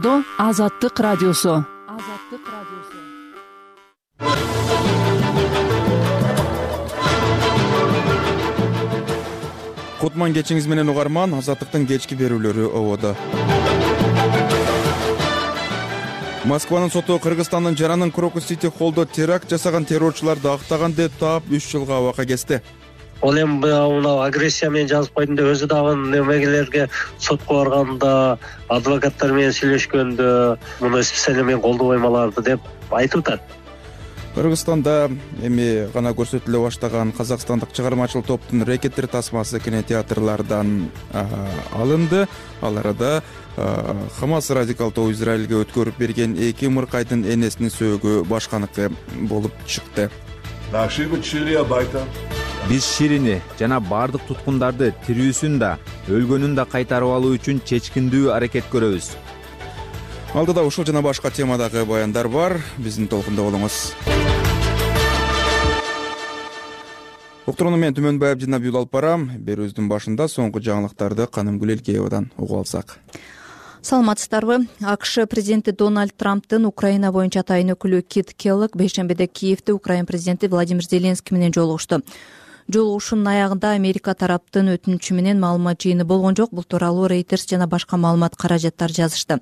жолдо Азаттык радиосу. Кутман кечиңиз менен угарман. Азаттыктын кечки берүүлөрү ободо. Москванын соту Кыргызстандын Жаранын Крокус-Сити холлдо теракт жасаган террорчуларды актаган деп таап 3 жылга абакка кести. Ол эми мына агрессия менен жазып койдум деп өзү дагы немегелерге сотко барганда, адвокаттар менен сүйлөшкөндө муну специально мен колдобойм аларды деп айтып атат. Кыргызстанда эми гана көрсөтүлө баштаган казакстандык чыгармачыл топтун рекеттер тасмасы кинотеатрлардан алынды. Ал арада Хамас радикал тобу Израилге өткөрүп берген 2 мыркайдын энесинин сөөгү башканыкы болуп чыкты. Биз Ширини жана бардык туткундарды тирүүсүн да, өлгөнүн да кайтарып алуу үчүн чечкиндүү аракет көрөбүз. Алдыда ушул жана башка темадагы баяндар бар. Биздин толкунда болуңуз. Уктурууну мен Түмөнбаев жана Набиул алып барам. Берүүбүздүн башында соңку жаңылыктарды Канымгүл Элкеевадан угуп алсак. Саламатсыздарбы? АКШ президенти Дональд Трамптын Украина боюнча атайын өкүлү Кит Келлог бейшембиде Киевде Украина президенти Владимир Зеленский менен жолугушту. Жолугушуунун аягында Америка тараптын өтүнүчү менен маалымат жыйыны болгон жок. Бул тууралуу Reuters жана башка маалымат каражаттар жазышты.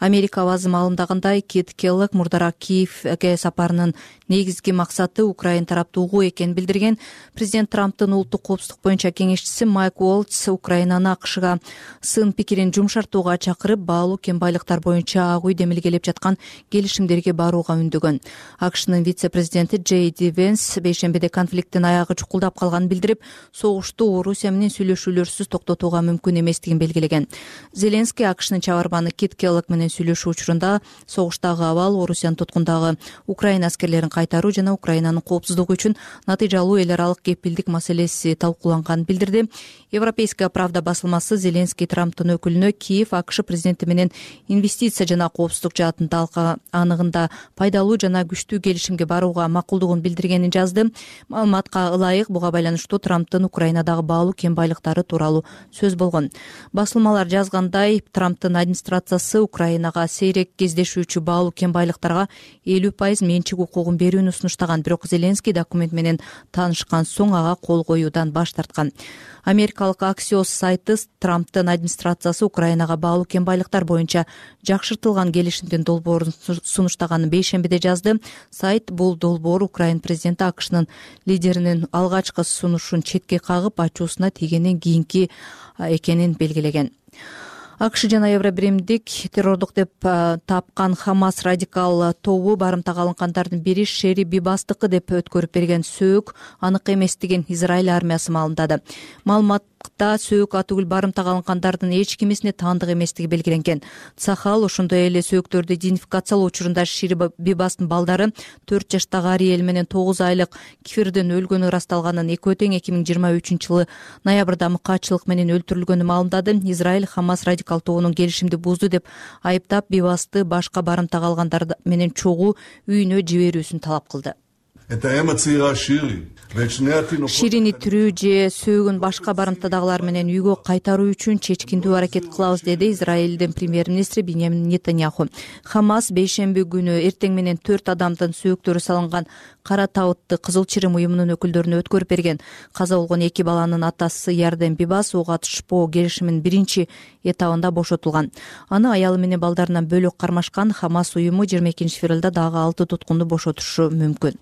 Америка авазы маалымдагандай, Кит Келлог мурдараак Киевге сапарынын негизги максаты Украина тарапты угуу экенин билдирген. Президент Трамптын улуттук коопсуздук боюнча кеңешчиси Майк Уолтс Украинаны АКШга сын пикирин жумшартууга чакырып, баалуу кен байлыктар боюнча Ак үйдө мелгелеп жаткан келишимдерге барууга үндөгөн. АКШнын вице-президенти Джей Ди Венс бейшембиде конфликттин аягы чукулдап калганын билдирип, согушту Орусия менен сүйлөшүүлөрсүз токтотууга мүмкүн эместигин белгилеген. Зеленский АКШнын чабарманы Кит Келлог менен сүйлөшүү учурунда согуштагы абал, Орусиянын туткундагы Украина аскерлерин кайтаруу жана Украинанын коопсуздугу үчүн натыйжалуу эл аралык кепилдик маселеси талкууланганын билдирди. Европейская правда басылмасы Зеленский Трамптын өкүлүнө Киев АКШ президенти менен инвестиция жана коопсуздук жаатын талкаа аныгында пайдалуу жана күчтүү келишимге барууга макулдугун билдиргенин жазды. Маалыматка ылайык буга байланыштуу Трамптын Украинадагы баалуу кен байлыктары тууралуу сөз болгон. Басылмалар жазгандай, Трамптын администрациясы Украинага сейрек кездешүүчү баалуу кен байлыктарга 50% менчик укугун берүүнү сунуштаган, бирок Зеленский документ менен таанышкан соң ага кол коюудан баш тарткан. Америкалык Axios сайты Трамптын администрациясы Украинага баалуу кен байлыктар боюнча жакшыртылган келишимдин долбоорун сунуштаганын бейшембиде жазды. Сайт бул долбоор Украина президенти АКШнын лидеринин алгачкы сунушун четке кагып, ачуусуна тийгенден кийинки экенин белгилеген. АКШ жана Евробиримдик террордук деп тапкан Хамас радикал тобу барымтага алынгандардын бири Шери Бибастыкы деп өткөрүп берген сөөк анык эместигин Израиль армиясы маалымдады. Маалыматта сөөк атүгүл барымтага алынгандардын эч кимисине таандык эместиги белгиленген. Цахал ошондой эле сөөктөрдү идентификациялоо учурунда Шери Бибастын балдары 4 жаштагы Ариэль менен 9 айлык Кифирдин өлгөнү ырасталганын, экөө тең 2023-жылы ноябрда мыкаатчылык менен өлтүрүлгөнүн маалымдады. Израиль Хамас радикал тобунун келишимди бузду деп айыптап, Бибасты башка барымтага алгандар менен чогуу үйүнө жиберүүсүн талап кылды. Ширини тирүү же сөөгүн башка барымтадагылар менен үйгө кайтаруу үчүн чечкиндүү аракет кылабыз, деди Израилдин премьер-министри Биньямин Нетаньяху. Хамас бейшемби күнү эртең менен 4 адамдын сөөктөрү салынган Кара табытты Кызыл Чырым уюмунун өкүлдөрүнө өткөрүп берген. Каза болгон 2 баланын атасы Ярден Бибас ок атышпоо келишиминин биринчи этабында бошотулган. Аны аялы менен балдарынан бөлөк кармашкан. Хамас уюму 22-февралда дагы 6 туткунду бошотушу мүмкүн.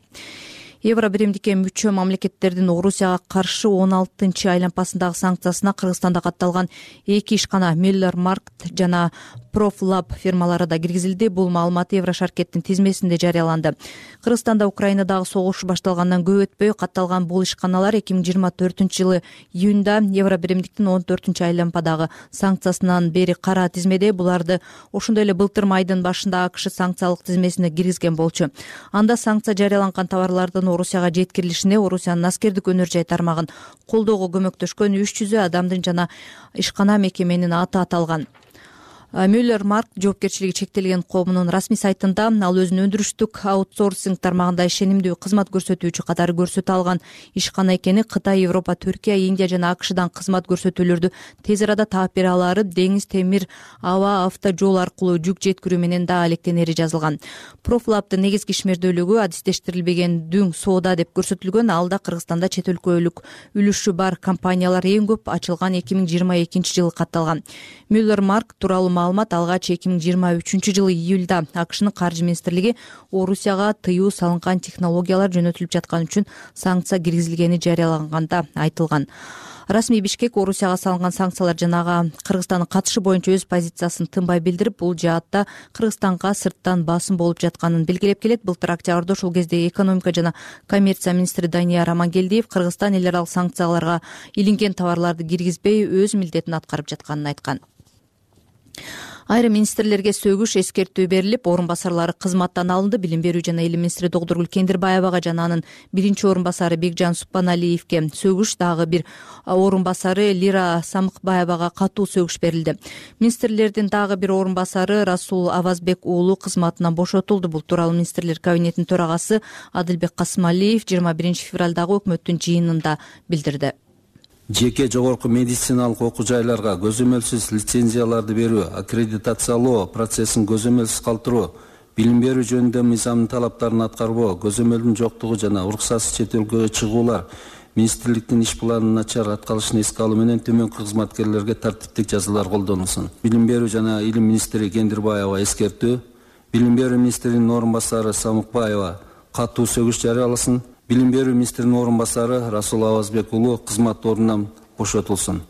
Евробиримдикке мүчө мамлекеттердин Орусияга каршы 16-чы айлампасындагы санкциясына Кыргызстанда катталган 2 ишкана Миллер Маркт жана Профлаб фирмалары да киргизилди. Бул маалымат Еврошаркеттин тизмесинде жарыяланды. Кыргызстанда Украинадагы согуш башталгандан көп өтпөй катталган бул ишканалар 2024-жылы июнда Евробиримдиктин 14-чы айлампадагы санкциясынан бери кара тизмеде. Буларды ошондой эле былтыр майдын башында АКШ санкциялык тизмесине киргизген болчу. Анда санкция жарыяланган товарлардын Орусияга жеткирилишине Орусиянын аскердик өнөр жай тармагын колдоого көмөктөшкөн 300 адамдын жана ишкана мекеменин аты аталган. Müller Mark жоопкерчилиги чектелген коомунун расмий сайтында ал өзүнүн өндүрүштүк аутсорсинг тармагында ишенимдүү кызмат көрсөтүүчү катары көрсөтө алган ишкана экени, Кытай, Европа, Түркия, Индия жана АКШдан кызмат көрсөтүүлөрдү тез арада таап бере алары, деңиз, темир, аба, авто жол аркылуу жүк жеткирүү менен да алектенери жазылган. Профлабдын негизги ишмердүүлүгү адистештирилбеген дүң соода деп көрсөтүлгөн. Алда Кыргызстанда чет өлкөлүк үлүшү бар компаниялар эң көп ачылган 2022 жылы катталган. Müller Mark тууралуу маалымат алгач 2023 жылы июлда АКШнын каржы министрлиги Орусияга тыюу салынган технологиялар жөнөтүлүп жаткан үчүн санкция киргизилгени жарыялаганда айтылган. Расмий Бишкек Орусияга салынган санкциялар жанага Кыргызстандын катышы боюнча өз позициясын тынбай билдирип, бул жаатта Кыргызстанга сырттан басым болуп жатканын белгилеп келет. Былтыр октябрда ошол кезде экономика жана коммерция министри Данияр Амангелдиев Кыргызстан эл аралык санкцияларга илинген товарларды киргизбей өз милдетин аткарып жатканын айткан. Айрым министрлерге сөгүш эскертүү берилип, орун басарлары кызматтан алынды. Билим берүү жана илим министри Доктургүл Кендирбаевага жана анын биринчи орун басары Бекжан Суппаналиевке сөгүш, дагы бир орун басары Лира Самыкбаевага катуу сөгүш берилди. Министрлердин дагы бир орун басары Расул Авазбек уулу кызматынан бошотулду. Бул тууралуу министрлер кабинетинин төрагасы Адылбек Касымалиев 21 февралдагы өкмөттүн жыйынында билдирди. Жеке жогорку медициналык окуу жайларга көзөмөлсүз лицензияларды берүү, аккредитациялоо процессин көзөмөлсүз калтыруу, билим берүү жөнүндө мыйзамдын талаптарын аткарбоо, көзөмөлдүн жоктугу жана уруксатсыз чет өлкөгө чыгуулар, министрликтин иш планынын начар аткарылышын эске алуу менен төмөнкү кызматкерлерге тартиптик жазалар колдонулсун. Билим берүү жана илим министри Кендирбаева эскертүү, билим берүү министринин орун басары Самыкбаева катуу сөгүш жарыяласын. Билим берүү министринин орун басары Расул Авазбек уулу кызмат ордунан бошотулсун.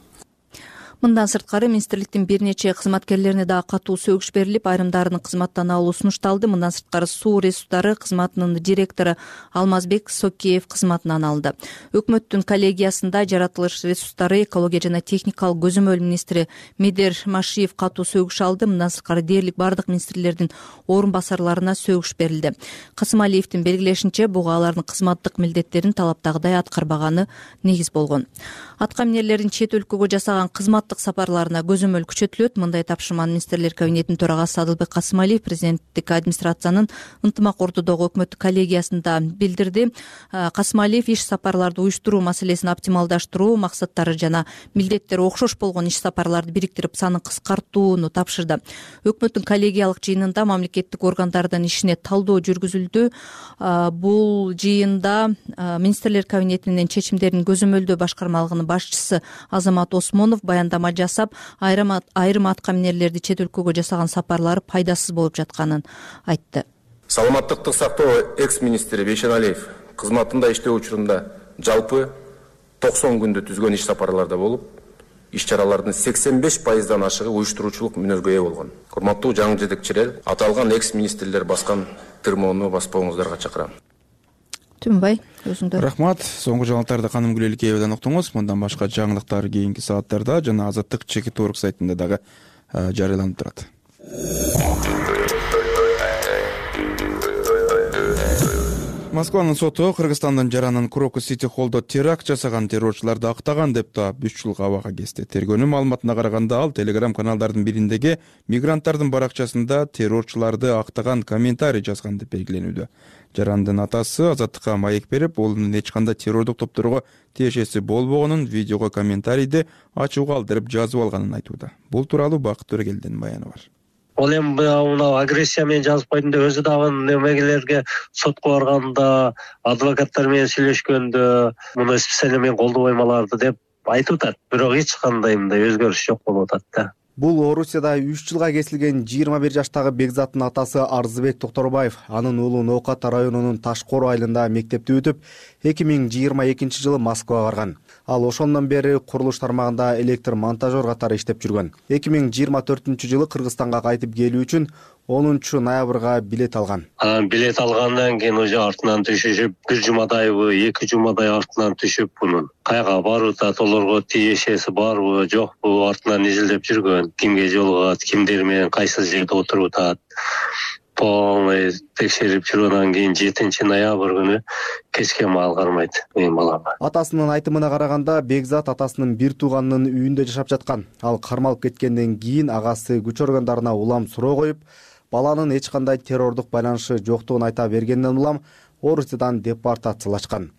Мындан сырткары министрликтин бир нече кызматкерлерине дагы катуу сөгүш берилип, айрымдарынын кызматтан алуу сунушталды. Мындан сырткары суу ресурстары кызматынын директору Алмазбек Сокеев кызматынан алынды. Өкмөттүн коллегиясында жаратылыш ресурстары, экология жана техникалык көзөмөл министри Медер Машиев катуу сөгүш алды. Мындан сырткары дээрлик бардык министрлердин орун басарларына сөгүш берилди. Касымалиевдин белгилешинче, буга алардын кызматтык милдеттерин талаптагыдай аткарбаганы негиз болгон. Атка минерлердин чет өлкөгө жасаган кызматтык сапарларына көзөмөл күчөтүлөт. Мындай тапшырманы министрлер кабинетинин төрагасы Адылбек Касымалиев президенттик администрациянын ынтымак ордодогу өкмөттүк коллегиясында билдирди. Касымалиев иш сапарларды уюштуруу маселесин оптималдаштыруу максаттары жана милдеттери окшош болгон иш сапарларды бириктирип, санын кыскартууну тапшырды. Өкмөттүн коллегиялык жыйынында мамлекеттик органдардын ишине талдоо жүргүзүлдү. Бул жыйында министрлер кабинетинин чечимдерин көзөмөлдөө башкармалыгынын башчысы Азамат Осмонов баяндама жасап, айрым атка минерлерди чет өлкөгө жасаган сапарлары пайдасыз болуп жатканын айтты. Саламаттыкты сактоо экс-министри Бейшеналиев кызматында иштөө учурунда жалпы 90 күндө түзгөн иш сапарларда болуп, иш чаралардын 85%дан ашыгы уюштуруучулук мүнөзгө ээ болгон. Урматтуу жаңы жетекчилер, аталган экс-министрлер баскан тырмоону баспооңуздарга чакырам. Түнбай, өзүңдө. Рахмат. Соңку жаңылыктарды Каным Гүлеликеевден уктуңуз. Мындан башка жаңылыктар кийинки сааттарда жана Азаттык чекит орг сайтында дагы жарыяланып турат. Москванын соту Кыргызстандын Жаранын Крокус Сити Холлдо теракт жасаган террорчуларды актаган деп таап 3 жылга абага кести. Тергөөнүн маалыматына караганда, ал Telegram каналдардын бириндеги мигранттардын баракчасында террорчуларды актаган комментарий жазган деп белгиленүүдө. Жарандын атасы Азаттыкка маек берип, уулунун эч кандай террордук топторго тиешеси болбогонун видеого комментарийди ачууга калтырып жазып алганын айтууда. Бул тууралуу Бакыт Төрөгелдин баяны бар. Ол эми мына агрессия менен жазып койдум деп өзү дагы немегелерге сотко барганда, адвокаттар менен сүйлөшкөндө муну специально мен колдобойм деп айтып атат. Бирок эч кандай мындай өзгөрүш жок болуп атат да. Бул Орусияда 3 жылга кесилген 21 жаштагы Бекзаттын атасы Арзыбек Токторбаев. Анын уулу Ноокат районунун Ташкор айылында мектепти бүтүп, 2022 жылы Москвага барган. Ал ошондон бери курулуш тармагында электр монтажер катары иштеп жүргөн. 2024 жылы Кыргызстанга кайтып келүү үчүн 10 ноябрга билет алган. Билет алгандан кийин уже артынан түшүп, бир жумадайбы, 2 жумадай артынан түшүп, мунун кайга барып атат, олорго тиешеси барбы, жокпу, артынан изилдеп жүргөн. Кимге жолугат, кимдер менен кайсы жерде отуруп атат. полный текшерип жүргөндөн кийин 7 ноябрь күнү кечке маал кармайт менин балам. Атасынын айтымына караганда Бекзат атасынын бир тууганынын үйүндө жашап жаткан. Ал кармалып кеткенден кийин агасы күч органдарына улам суроо коюп, баланын эч кандай террордук байланышы жоктугун айта бергенден улам Орусиядан депортациялашкан.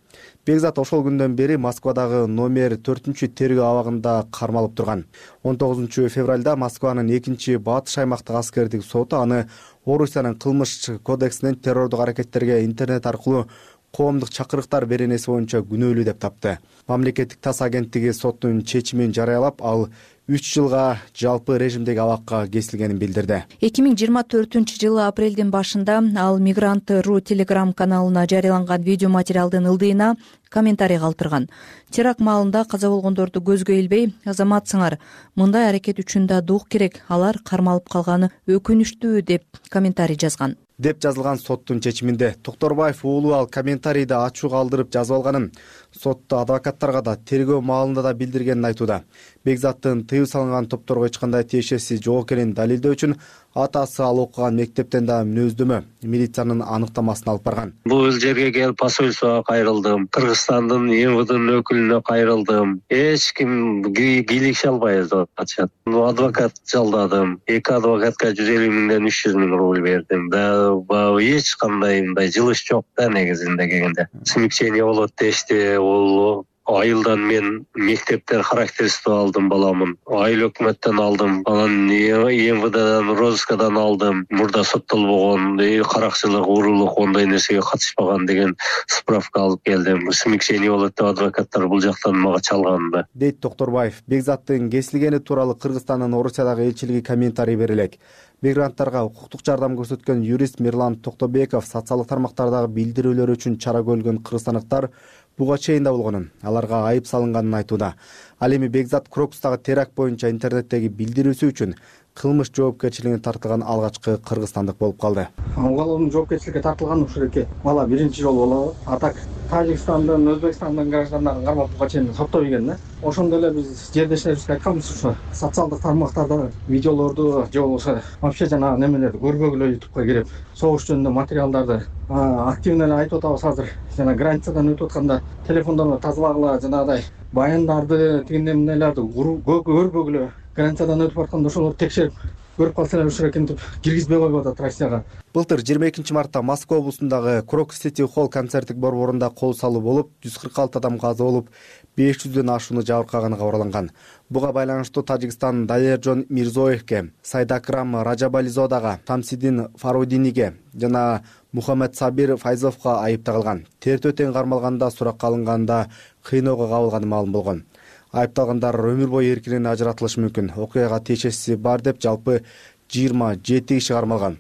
Бекзат ошол күндөн бери Москвадагы номер 4-тергөө абагында кармалып турган. 19 февралда Москванын 2-батыш аймактык аскердик соту аны Орусиянын кылмыш кодексинен террордук аракеттерге интернет аркылуу коомдук чакырыктар беренеси боюнча күнөөлүү деп тапты. Мамлекеттик тас агенттиги соттун чечимин жарыялап, ал 3 жылга жалпы режимдеги абакка кесилгенин билдирди. 2024-жылы апрелдин башында ал Мигрант.ру телеграм каналына жарыяланган видео материалдын ылдыйына комментарий калтырган. Теракт маалында каза болгондорду көзгө илбей, азаматсыңар, мындай аракет үчүн да дух керек, алар кармалып калганы өкүнүчтүү деп комментарий жазган. Деп жазылган соттун чечиминде Токторбаев уулу ал комментарийди ачуу калтырып жазып алганын, сотто адвокаттарга да тергөө маалында да билдиргенин айтууда. Бекзаттын тыюу салынган топторго эч кандай тиешеси жок экенин далилдөө үчүн атасы ал окуган мектептен да мүнөздөмө, милициянын аныктамасын алып барган. Бул жерге келип посольствого кайрылдым, Кыргызстандын МВДнын өкүлүнө кайрылдым. Эч ким кийлигише албайбыз деп атышат. Адвокат жалдадым. 2 адвокатка 150 миңден 300 миң рубль бердим. Эч кандай мындай жылыш жок да негизинде келгенде. Смягчение болот дешти, ол айылдан мен мектептен характерство алдым баламын. Айыл өкмөттөн алдым. Анан МВДдан, розыскадан алдым. Мурда соттолбогон, каракчылык, уурулук ондай нерсеге катышпаган деген справка алып келдим. Смягчение болот деп адвокаттар бул жактан мага чалган да. Дейт Токторбаев. Бекзаттын кесилгени тууралуу Кыргызстандын Орусиядагы элчилиги комментарий бере элек. Мигранттарга укуктук жардам көрсөткөн юрист Мирлан Токтобеков социалдык тармактардагы билдирүүлөр үчүн чара көргөн кыргызстандыктар буга чейин да болгонун, аларга айып салынганын айтууда. Ал эми Бекзат Крокустагы теракт боюнча интернеттеги билдирүүсү үчүн кылмыш жоопкерчилигине тартылган алгачкы кыргызстандык болуп калды. Уголовный жоопкерчиликке тартылган ушул эки бала биринчи жолу болобу. А так Тажикстандын, Өзбекстандын граждандарын кармап буга чейин соттобойгон да. Ошондо эле биз жердештерибизге айтканбыз, ушу социалдык тармактарда видеолорду же болбосо вообще жанагы немелерди көрбөгүлө YouTubeга кирип, согуш жөнүндө материалдарды активно эле айтып атабыз азыр. Жана границадан өтүп атканда телефондорду тазалагыла, жанагыдай баяндарды, тигиндей мындайларды көрбөгүлө, границадан өтүп атканда ошолорду текшерип көрүп калса эле ушул экентип киргизбей коюп атат Россияга. Былтыр 22 мартта Москва облусундагы Крокус City Hall концерттик борборунда кол салуу болуп, 146 адам каза болуп, 500дөн ашууну жабыркаганы кабарланган. Буга байланыштуу Тажикстан Далержон Мирзоевке, Сайдакрам Раджабализодага, Тамсидин Фарудиниге жана Мухаммед Сабир Файзовго айып тагылган. Тертөө тең кармалганда, суракка алынганда кыйноого кабылганы маалым болгон. Айыпталгандар өмүр бою эркинен ажыратылышы мүмкүн. Окуяга тиешеси бар деп жалпы 27 киши кармалган.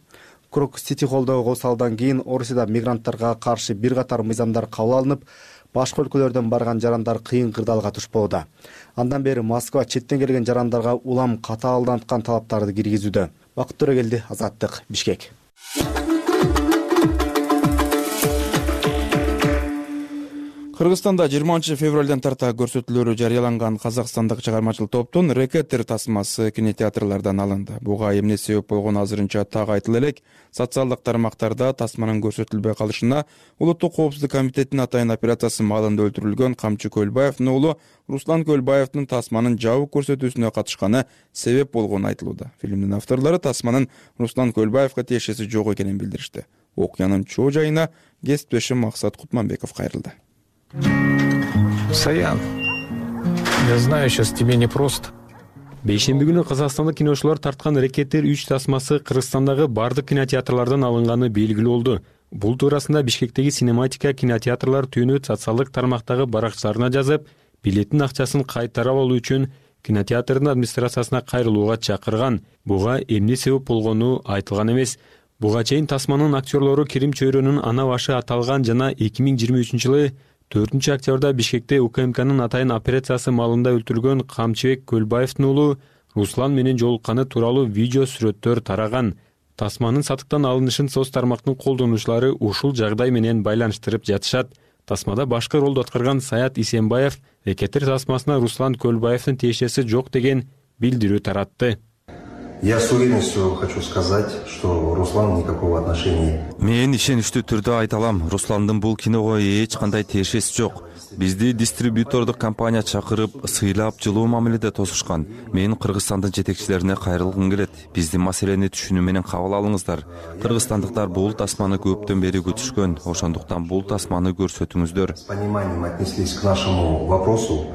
Крокус City Hall'догу косалдан кийин Орусияда мигранттарга каршы бир катар мыйзамдар кабыл алынып, башка өлкөлөрдөн барган жарандар кыйын кырдаалга тушпоодо. Андан бери Москва четтен келген жарандарга улам катаалданткан талаптарды киргизүүдө. Бакыт Төрөгелди, Азаттык, Бишкек. Кыргызстанда 20 февралдан тарта көрсөтүүлөрү жарыяланган казакстандык чыгармачыл топтун Рекеттер тасмасы кинотеатрлардан алынды. Буга эмне себеп болгону азырынча так айтыла элек. Социалдык тармактарда тасманын көрсөтүлбөй калышына Улуттук коопсуздук комитетинин атайын операциясы маалында өлтүрүлгөн Камчы Көлбаевдин уулу Руслан Көлбаевдин тасманын жабык көрсөтүүсүнө катышканы себеп болгону айтылууда. Фильмдин авторлору тасманын Руслан Көлбаевга тиешеси жок экенин билдиришти. Окуянын чоо жайына кесиптешим Максат Кутманбеков кайрылды. Саян, я знаю, сейчас тебе непросто. Бейшемби күнү казакстандык киночулар тарткан Рекеттер 3 тасмасы Кыргызстандагы бардык кинотеатрлардан алынганы белгилүү болду. Бул туурасында Бишкектеги Синематика кинотеатрлар түнү социалдык тармактагы баракчаларына жазып, билеттин акчасын кайтарып алуу үчүн кинотеатрдын администрациясына кайрылууга чакырган. Буга эмне себеп болгону айтылган эмес. Буга чейин тасманын актерлору Керим Чөйрөнүн ана башы аталган жана 2023-жылы 4-октябрда Бишкекте УКМКнын атайын операциясы маалында өлтүрүлгөн Камчыбек Көлбаевдин уулу Руслан менен жолукканы тууралуу видео сүрөттөр тараган. Тасманын сатыктан алынышын соц тармактын колдонуучулары ушул жагдай менен байланыштырып жатышат. Тасмада башкы ролду аткарган Саят Исенбаев Рекеттер тасмасына Руслан Көлбаевдин тиешеси жок деген билдирүү таратты. Я с уверенностью хочу сказать, что Руслан никакого отношения. Мен ишеничтүү түрдө айта алам, Русландын бул киного эч кандай тиешеси жок. Бизди дистрибьютордук компания чакырып, сыйлап, жылуу мамиледе тосушкан. Мен Кыргызстандын жетекчилерине кайрылгым келет. Биздин маселени түшүнүү менен кабыл алыңыздар. Кыргызстандыктар бул тасманы көптөн бери күтүшкөн. Ошондуктан бул тасманы көрсөтүңүздөр. С пониманием отнеслись к нашему вопросу.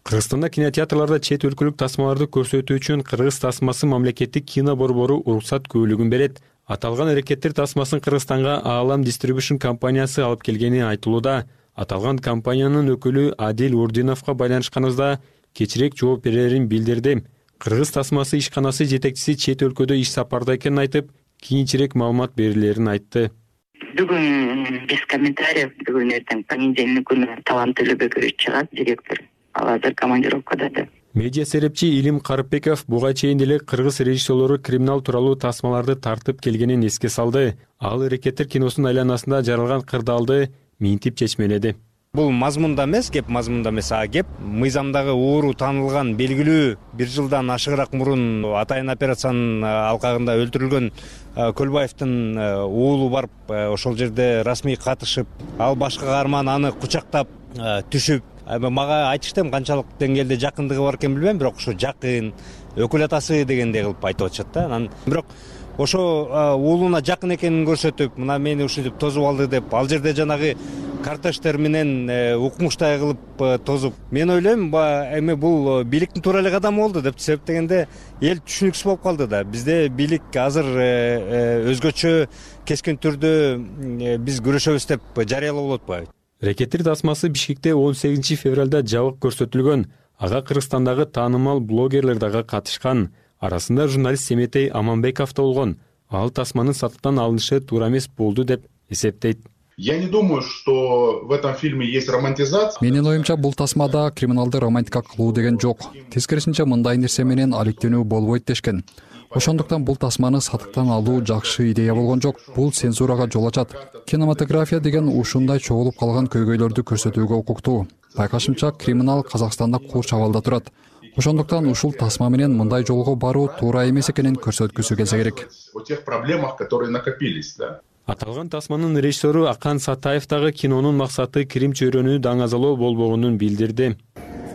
Кыргызстанда кинотеатрларда чет өлкөлүк тасмаларды көрсөтүү үчүн кыргыз тасмасы мамлекеттик кино борбору уруксат көбүлүгүн берет. Аталган аракеттер тасмасын Кыргызстанга Аалам Distribution компаниясы алып келгени айтылууда. Аталган компаниянын өкүлү Адил Урдиновго байланышканыбызда кечирээк жооп берерин билдирди. Кыргыз тасмасы ишканасы жетекчиси чет өлкөдө иш сапарда экенин айтып, кийинчерээк маалымат берилерин айтты. Бүгүн без комментариев, бүгүн эртең понедельник күнү Талант Төлөбекович чыгат, директор. Ал азыр командировкада да. Медиа серепчи Илим Карыпбеков буга чейин деле кыргыз режиссерлору криминал тууралуу тасмаларды тартып келгенин эске салды. Ал аракеттер киносунун айланасында жаралган кырдаалды минтип чечмеледи. Бул мазмунда эмес, кеп мазмунда эмес, а кеп мыйзамдагы ууру таанылган белгилүү 1 жылдан ашыгыраак мурун атайын операциянын алкагында өлтүрүлгөн Көлбаевдин уулу барып ошол жерде расмий катышып, ал башка каарман аны кучактап түшүп, мага айтышты, канчалык деңгээлде жакындыгы бар экен билбейм, бирок ошо жакын өкүл атасы дегендей кылып айтып атышат да. Анан бирок ошо уулуна жакын экенин көрсөтүп, мына мени ушинтип тосуп алды деп, ал жерде жанагы картештер менен укмуштай кылып тосуп. Мен ойлойм, эми бул бийликтин туура эле кадамы болду деп себептегенде эл түшүнүксүз болуп калды да. Бизде бийлик азыр өзгөчө кескин түрдө биз күрөшөбүз деп жарыялап болот атпайбы? Рекеттер тасмасы Бишкекте 18 февралда жабык көрсөтүлгөн. Ага Кыргызстандагы таанымал блогерлер дагы катышкан. Арасында журналист Семетей Аманбеков да болгон. Ал тасманын сатыктан алынышы туура эмес болду деп эсептейт. Я не думаю, что в этом фильме есть романтизация. Менин оюмча бул тасмада криминалды романтика кылуу деген жок. Тескерисинче мындай нерсе менен алектенүү болбойт дешкен. Ошондуктан бул тасманы сатыктан алуу жакшы идея болгон жок. Бул цензурага жол ачат. Кинематография деген ушундай чогулуп калган көйгөйлөрдү көрсөтүүгө укуктуу. Байкашымча, криминал Казакстанда курч абалда турат. Ошондуктан ушул тасма менен мындай жолго баруу туура эмес экенин көрсөткүсү келсе керек. О тех проблемах, которые накопились, да. Аталган тасманын режиссеру Акан Сатаев дагы кинонун максаты кирим чөйрөнү даңазалоо болбогонун билдирди.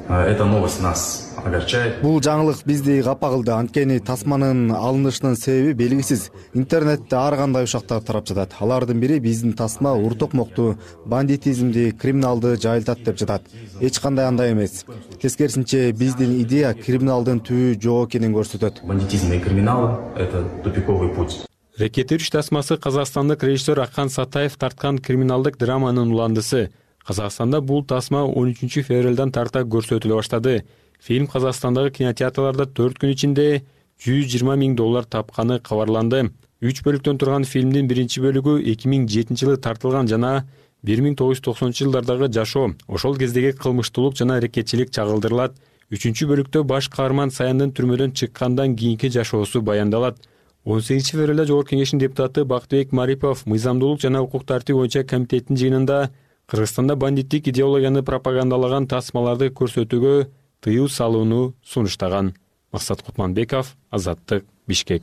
Эта новость нас огорчает. Бул жаңылык бизди капа кылды. Анткени тасманын алынышынын себеби белгисиз. Интернетте ар кандай ушактар тарап жатат. Алардын бири биздин тасма уртокмокту, бандитизмди, криминалды жайылтат деп жатат. Эч кандай андай эмес. Тескерисинче биздин идея криминалдын түбү жок экенин көрсөтөт. Бандитизм и криминал — это тупиковый путь. Рекеттер 3 тасмасы казакстандык режиссер Акан Сатаев тарткан криминалдык драманын уландысы. Казакстанда бул тасма 13 февралдан тарта көрсөтүлө баштады. Фильм Казакстандагы кинотеатрларда 4 күн ичинде $120 000 тапканы кабарланды. 3 бөлүктөн турган фильмдин биринчи бөлүгү 2007 жылы тартылган жана 1990 жылдардагы жашоо, ошол кездеги кылмыштуулук жана аракетчилик чагылдырылат. 3 бөлүктө баш каарман Саяндын түрмөдөн чыккандан кийинки жашоосу баяндалат. 18 февралда Жогорку Кеңештин депутаты Бактыбек Марипов мыйзамдуулук жана укук тартип боюнча комитеттин жыйынында Кыргызстанда бандиттик идеологияны пропагандалаган тасмаларды көрсөтүүгө тыюу салууну сунуштаган. Максат Кутманбеков, Азаттык, Бишкек.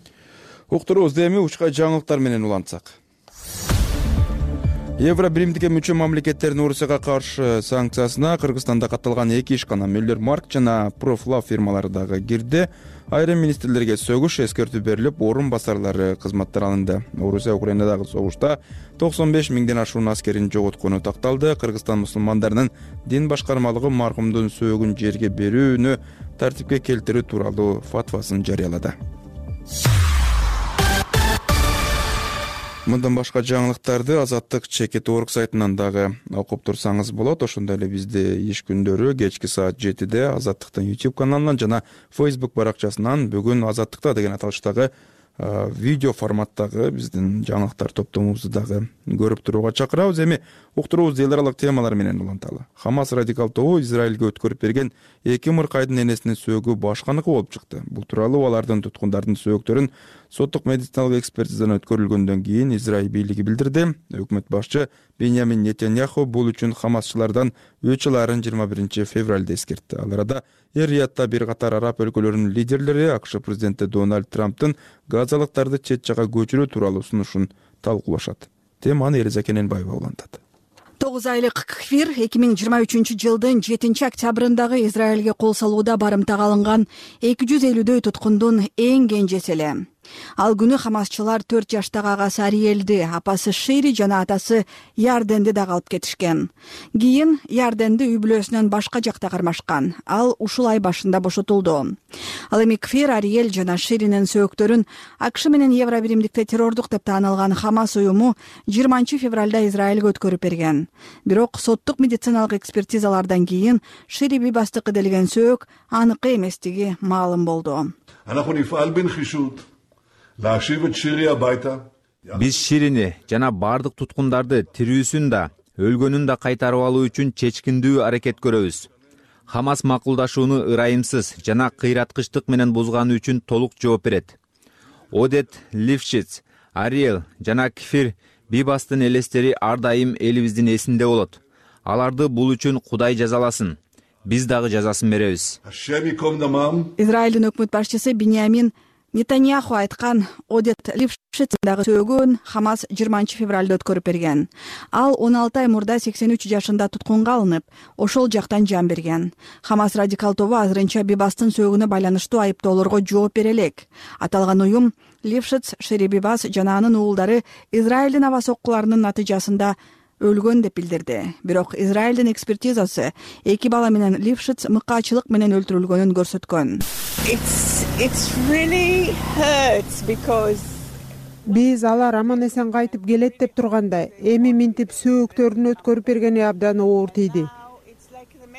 Уктуруубузду эми учка жаңылыктар менен улантсак. Евро биримдикке мүчө мамлекеттердин Орусияга каршы санкциясына Кыргызстанда катталган 2 ишкана Müller Mark жана Proflab фирмалары дагы кирди. Айрым министрлерге сөгүш эскертүү берилип, орун басарлары кызматтар алынды. Орусия Украинадагы согушта 95 000ден ашуун аскерин жоготкону такталды. Кыргызстан мусулмандарынын дин башкармалыгы маркумдун сөөгүн жерге берүүнү тартипке келтирүү тууралуу фатвасын жарыялады. Мындан башка жаңылыктарды Азаттык Чекит.org сайтынан дагы окуп турсаңыз болот. Ошондой эле бизде иш күндөрү кечки саат 7-де Азаттыктын YouTube каналынан жана Facebook баракчасынан бүгүн Азаттыкта деген аталыштагы видео форматтагы биздин жаңылыктар топтомубузду дагы көрүп турууга чакырабыз. Эми уктуруубузду эл аралык темалар менен уланталы. Хамас радикал тобу Израилге өткөрүп берген 2 мыркайдын энесинин сөөгү башканыкы болуп чыкты. Бул тууралуу алардын туткундардын сөөгүттөрүн соттук медициналык экспертизадан өткөрүлгөндөн кийин Израиль бийлиги билдирди. Өкмөт башчы Беньямин Нетаньяху бул үчүн хамасчылардан өч аларын 21 февралда эскертти. Ал арада Эр-Риядда бир катар араб өлкөлөрүнүн лидерлери АКШ президенти Дональд Трамптын газалыктарды чет жакка көчүрүү тууралуу сунушун талкуулашат. Теманы Элиза Кененбаева улантат. 9 айлык Кфир 2023 жылдын 7 октябрындагы Израилге кол салууда барымтага алынган 250дөй туткундун эң кенжеси эле. Ал күнү хамасчылар 4 жаштагы агасы Ариэлди, апасы Шири жана атасы Ярденди дагы алып кетишкен. Кийин Ярденди үй бүлөсүнөн башка жакта кармашкан. Ал ушул ай башында бошотулду. Ал эми Кфир, Ариэль жана Ширинин сөөктөрүн АКШ менен Евробиримдикте террордук деп таанылган Хамас уюму 20 февралда Израилге өткөрүп берген. Бирок соттук медициналык экспертизалардан кийин Шири бибастыкы делген сөөк аныкы эместиги маалым болду. Биз Ширини жана бардык туткундарды тирүүсүн да, өлгөнүн да кайтарып алуу үчүн чечкиндүү аракет көрөбүз. Хамас макулдашууну ырайымсыз жана кыйраткычтык менен бузганы үчүн толук жооп берет. Одет Лившиц, Ариэль жана Кфир бибастын элестери ар дайым элибиздин эсинде болот. Аларды бул үчүн Кудай жазаласын. Биз дагы жазасын беребиз. Израилдин өкмөт башчысы Беньямин Нетаньяху айткан Одет Лившицдагы сөөгүн Хамас 20 февралда өткөрүп берген. Ал 16 ай мурда 83 жашында туткунга алынып, ошол жактан жан берген. Хамас радикал тобу азырынча бибастын сөөгүнө байланыштуу айыптоолорго жооп бере элек. Аталган уюм Лившиц, Шири бибас жана анын уулдары Израилдин аба соккуларынын натыйжасында өлгөн деп билдирди. Бирок Израилдин экспертизасы эки бала менен Лившиц мыкаачылык менен өлтүрүлгөнүн көрсөткөн. Биз алар аман эсен кайтып келет деп турганда, эми минтип сөөктөрүн өткөрүп бергени абдан оор тийди.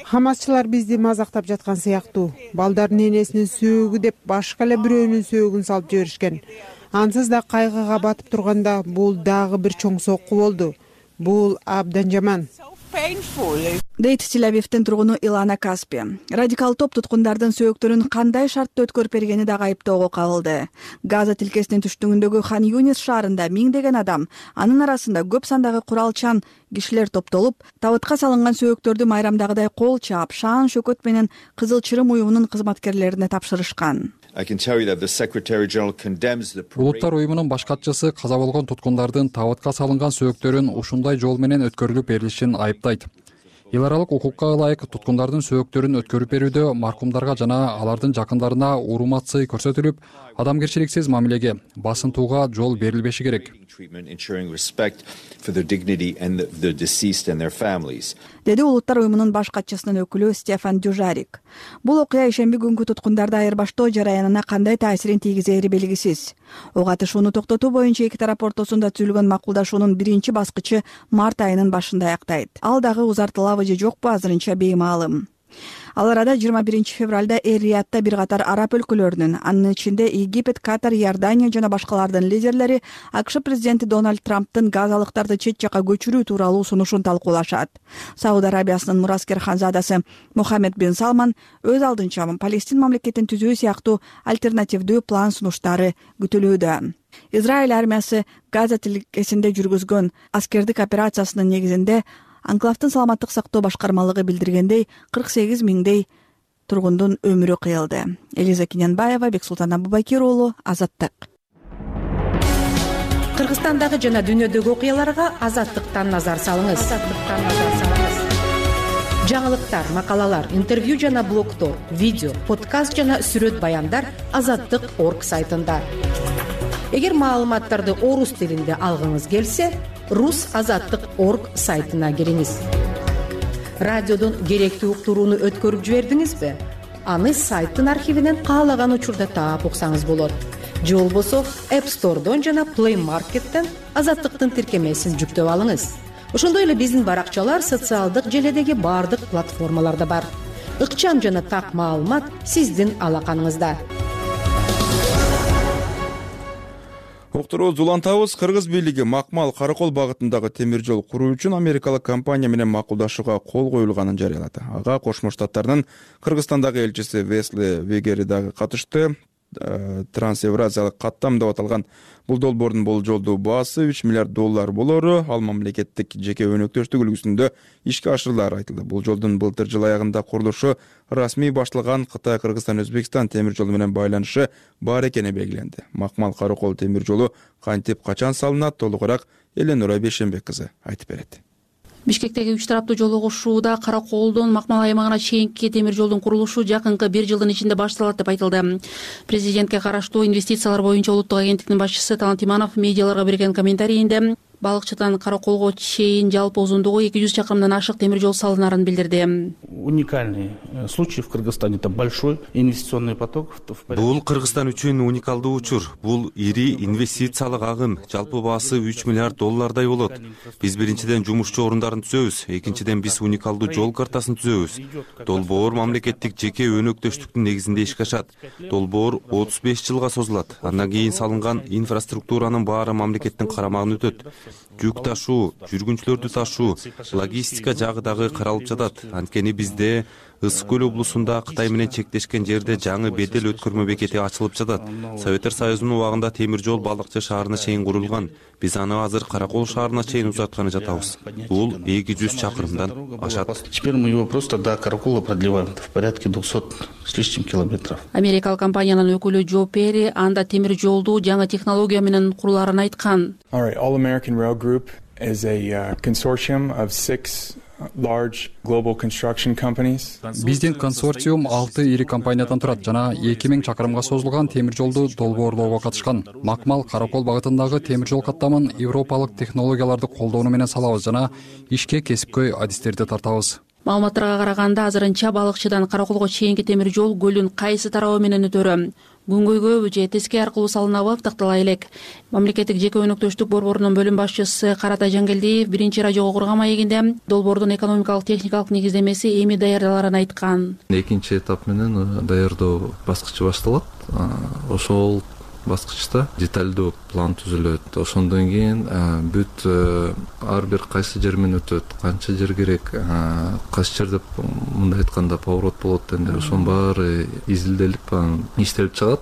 Хамасчылар бизди мазактап жаткан сыяктуу. Балдардын энесинин сөөгү деп башка эле бирөөнүн сөөгүн салып жиберишкен. Ансыз да кайгыга батып турганда бул дагы бир чоң сокку болду. Бул абдан жаман. Дейт Тель-Авивдин тургуну Илана Каспи. Радикал топ туткундардын сөөктөрүн кандай шартта өткөрүп бергени дагы айыптоого кабылды. Газа тилкесинин түштүгүндөгү Хан Юнис шаарында миңдеген адам, анын арасында көп сандагы куралчан кишилер топтолуп, табытка салынган сөөктөрдү майрамдагыдай кол чаап, шаан шөкөт менен Кызыл Чырым уюмунун кызматкерлерине тапшырышкан. Улуттар уюмунун баш катчысы каза болгон туткундардын табытка салынган сөөктөрүн ушундай жол менен өткөрүлүп берилишин айыптайт. Эл аралык укукка ылайык туткундардын сөөктөрүн өткөрүп берүүдө маркумдарга жана алардын жакындарына урмат-сый көрсөтүлүп, адамгерчиликсиз мамилеге, басынтууга жол берилбеши керек. Деди улуттар уюмунун баш катчысынын өкүлү Стефан Дюжарик. Бул окуя ишемби күнгү туткундарды айырбаштоо жараянына кандай таасирин тийгизери белгисиз. Ого атышууну токтотуу боюнча эки тарап ортосунда түзүлгөн макулдашуунун биринчи баскычы март айынын башында аяктайт. Ал дагы узартылабы же жокпу азырынча беймаалым. Ал арада 21 февралда Эр-Риядда бир катар араб өлкөлөрүнүн, анын ичинде Египет, Катар, Иордания жана башкалардын лидерлери АКШ президенти Дональд Трамптын газалыктарды чет жакка көчүрүү тууралуу сунушун талкуулашат. Сауд Арабиясынын мураскер ханзадасы Мухаммед бин Салман өз алдынча Палестин мамлекетин түзүү сыяктуу альтернативдүү план сунуштары күтүлүүдө. Израиль армиясы Газа тилкесинде жүргүзгөн аскердик операциясынын негизинде Анклавдын саламаттык сактоо башкармалыгы билдиргендей 48 миңдей тургундун өмүрү кыйылды. Элиза Кененбаева, Бексултан Абубакир уулу, Азаттык. Кыргызстандагы жана дүйнөдөгү окуяларга Азаттыктан назар салыңыз. Жаңылыктар, макалалар, интервью жана блогтор, видео, подкаст жана сүрөт баяндар Азаттык.org сайтында. Эгер маалыматтарды орус тилинде алгыңыз келсе, rusazаттык.org сайтына кириңиз. Радиодон керектүү уктурууну өткөрүп жибердиңизби? Аны сайттын архивинен каалаган учурда таап уксаңыз болот. Же болбосо App Store'дон жана Play Market'тен Азаттыктын тиркемесин жүктөп алыңыз. Ошондой эле биздин баракчалар социалдык желедеги бардык платформаларда бар. Ыкчам жана так маалымат сиздин алаканыңызда. Уктуруу улантабыз. Кыргыз бийлиги Макмал Каракол багытындагы темир жол куруу үчүн америкалык компания менен макулдашууга кол коюлганын жарыялады. Ага Кошмо Штаттардын Кыргызстандагы элчиси Весли Вегери дагы катышты. трансевразиялык каттам деп аталган бул долбоордун болжолдуу баасы $3 миллиард болору ал мамлекеттик жеке өнөктөштүк үлгүсүндө ишке ашырылары айтылды. Бул жолдун былтыр жыл аягында курулушу расмий башталган Кытай, Кыргызстан, Өзбекстан темир жолу менен байланышы бар экени белгиленди. Макмал Каракол темир жолу кантип качан салынат, толугураак Эленура Бейшенбек кызы айтып берет. Бишкектеги 3 тараптуу жолугушууда Караколдон Макмал аймагына чейинки темир жолдун курулушу жакынкы 1 жылдын ичинде башталат деп айтылды. Президентке караштуу инвестициялар боюнча улуттук агенттиктин башчысы Талант Иманов медиаларга берген комментарийинде Балыкчыдан Караколго чейин жалпы узундугу 200 чакырымдан ашык темир жол салынарын билдирди. Уникальный случай в Кыргызстане, это большой инвестиционный поток. Бул Кыргызстан үчүн уникалдуу учур. Бул ири инвестициялык агым, жалпы баасы $3 миллиард болот. Биз биринчиден жумушчу орундарын түзөбүз, экинчиден биз уникалдуу жол картасын түзөбүз. Долбоор мамлекеттик жеке өнөктөштүктүн негизинде ишке ашат. Долбоор 35 жылга созулат. Андан кийин салынган инфраструктуранын баары мамлекеттин карамагына өтөт. Жүк ташуу, жүргүнчүлөрдү ташуу, логистика жагы дагы каралып жатат. Анткени бизде Ысык көл облусунда Кытай менен чектешкен жерде жаңы бедел өткөрмө бекети ачылып жатат. Советтер Союзунун убагында темир жол Балыкчы шаарына чейин курулган. Биз аны азыр Каракол шаарына чейин узартканы жатабыз. Бул 200 чакырымдан ашат. Теперь мы его просто до Каракола продлеваем в порядке 200 с лишним километров. Америкалык компаниянын өкүлү Джо Перри анда темир жолду жаңы технология менен куруларын айткан. All American Rail Group is a consortium of 6 large global construction companies. Биздин консорциум 6 ири компаниядан турат жана 2000 чакырымга созулган темир жолду долбоорлоого катышкан. Макмал Каракол багытындагы темир жол каттамын европалык технологияларды колдонуу менен салабыз жана ишке кесипкөй адистерди тартабыз. Маалыматтарга караганда азырынча Балыкчыдан Караколго чейинки темир жол көлдүн кайсы тарабы менен өтөрү, күнгөйгөбү же теске аркылуу салынабы тактала элек. Мамлекеттик жеке өнөктөштүк борборунун бөлүм башчысы Каратай Жангелдиев биринчи радиого курган маегинде долбоордун экономикалык техникалык негиздемеси эми даярдаларын айткан. Экинчи этап менен даярдоо баскычы башталат. Ошол баскычта деталдуу план түзүлөт. Ошондон кийин бүт ар бир кайсы жер менен өтөт, канча жер керек, кайсы жерде мындай айтканда поворот болот энди ошонун баары изилделип иштелип чыгат.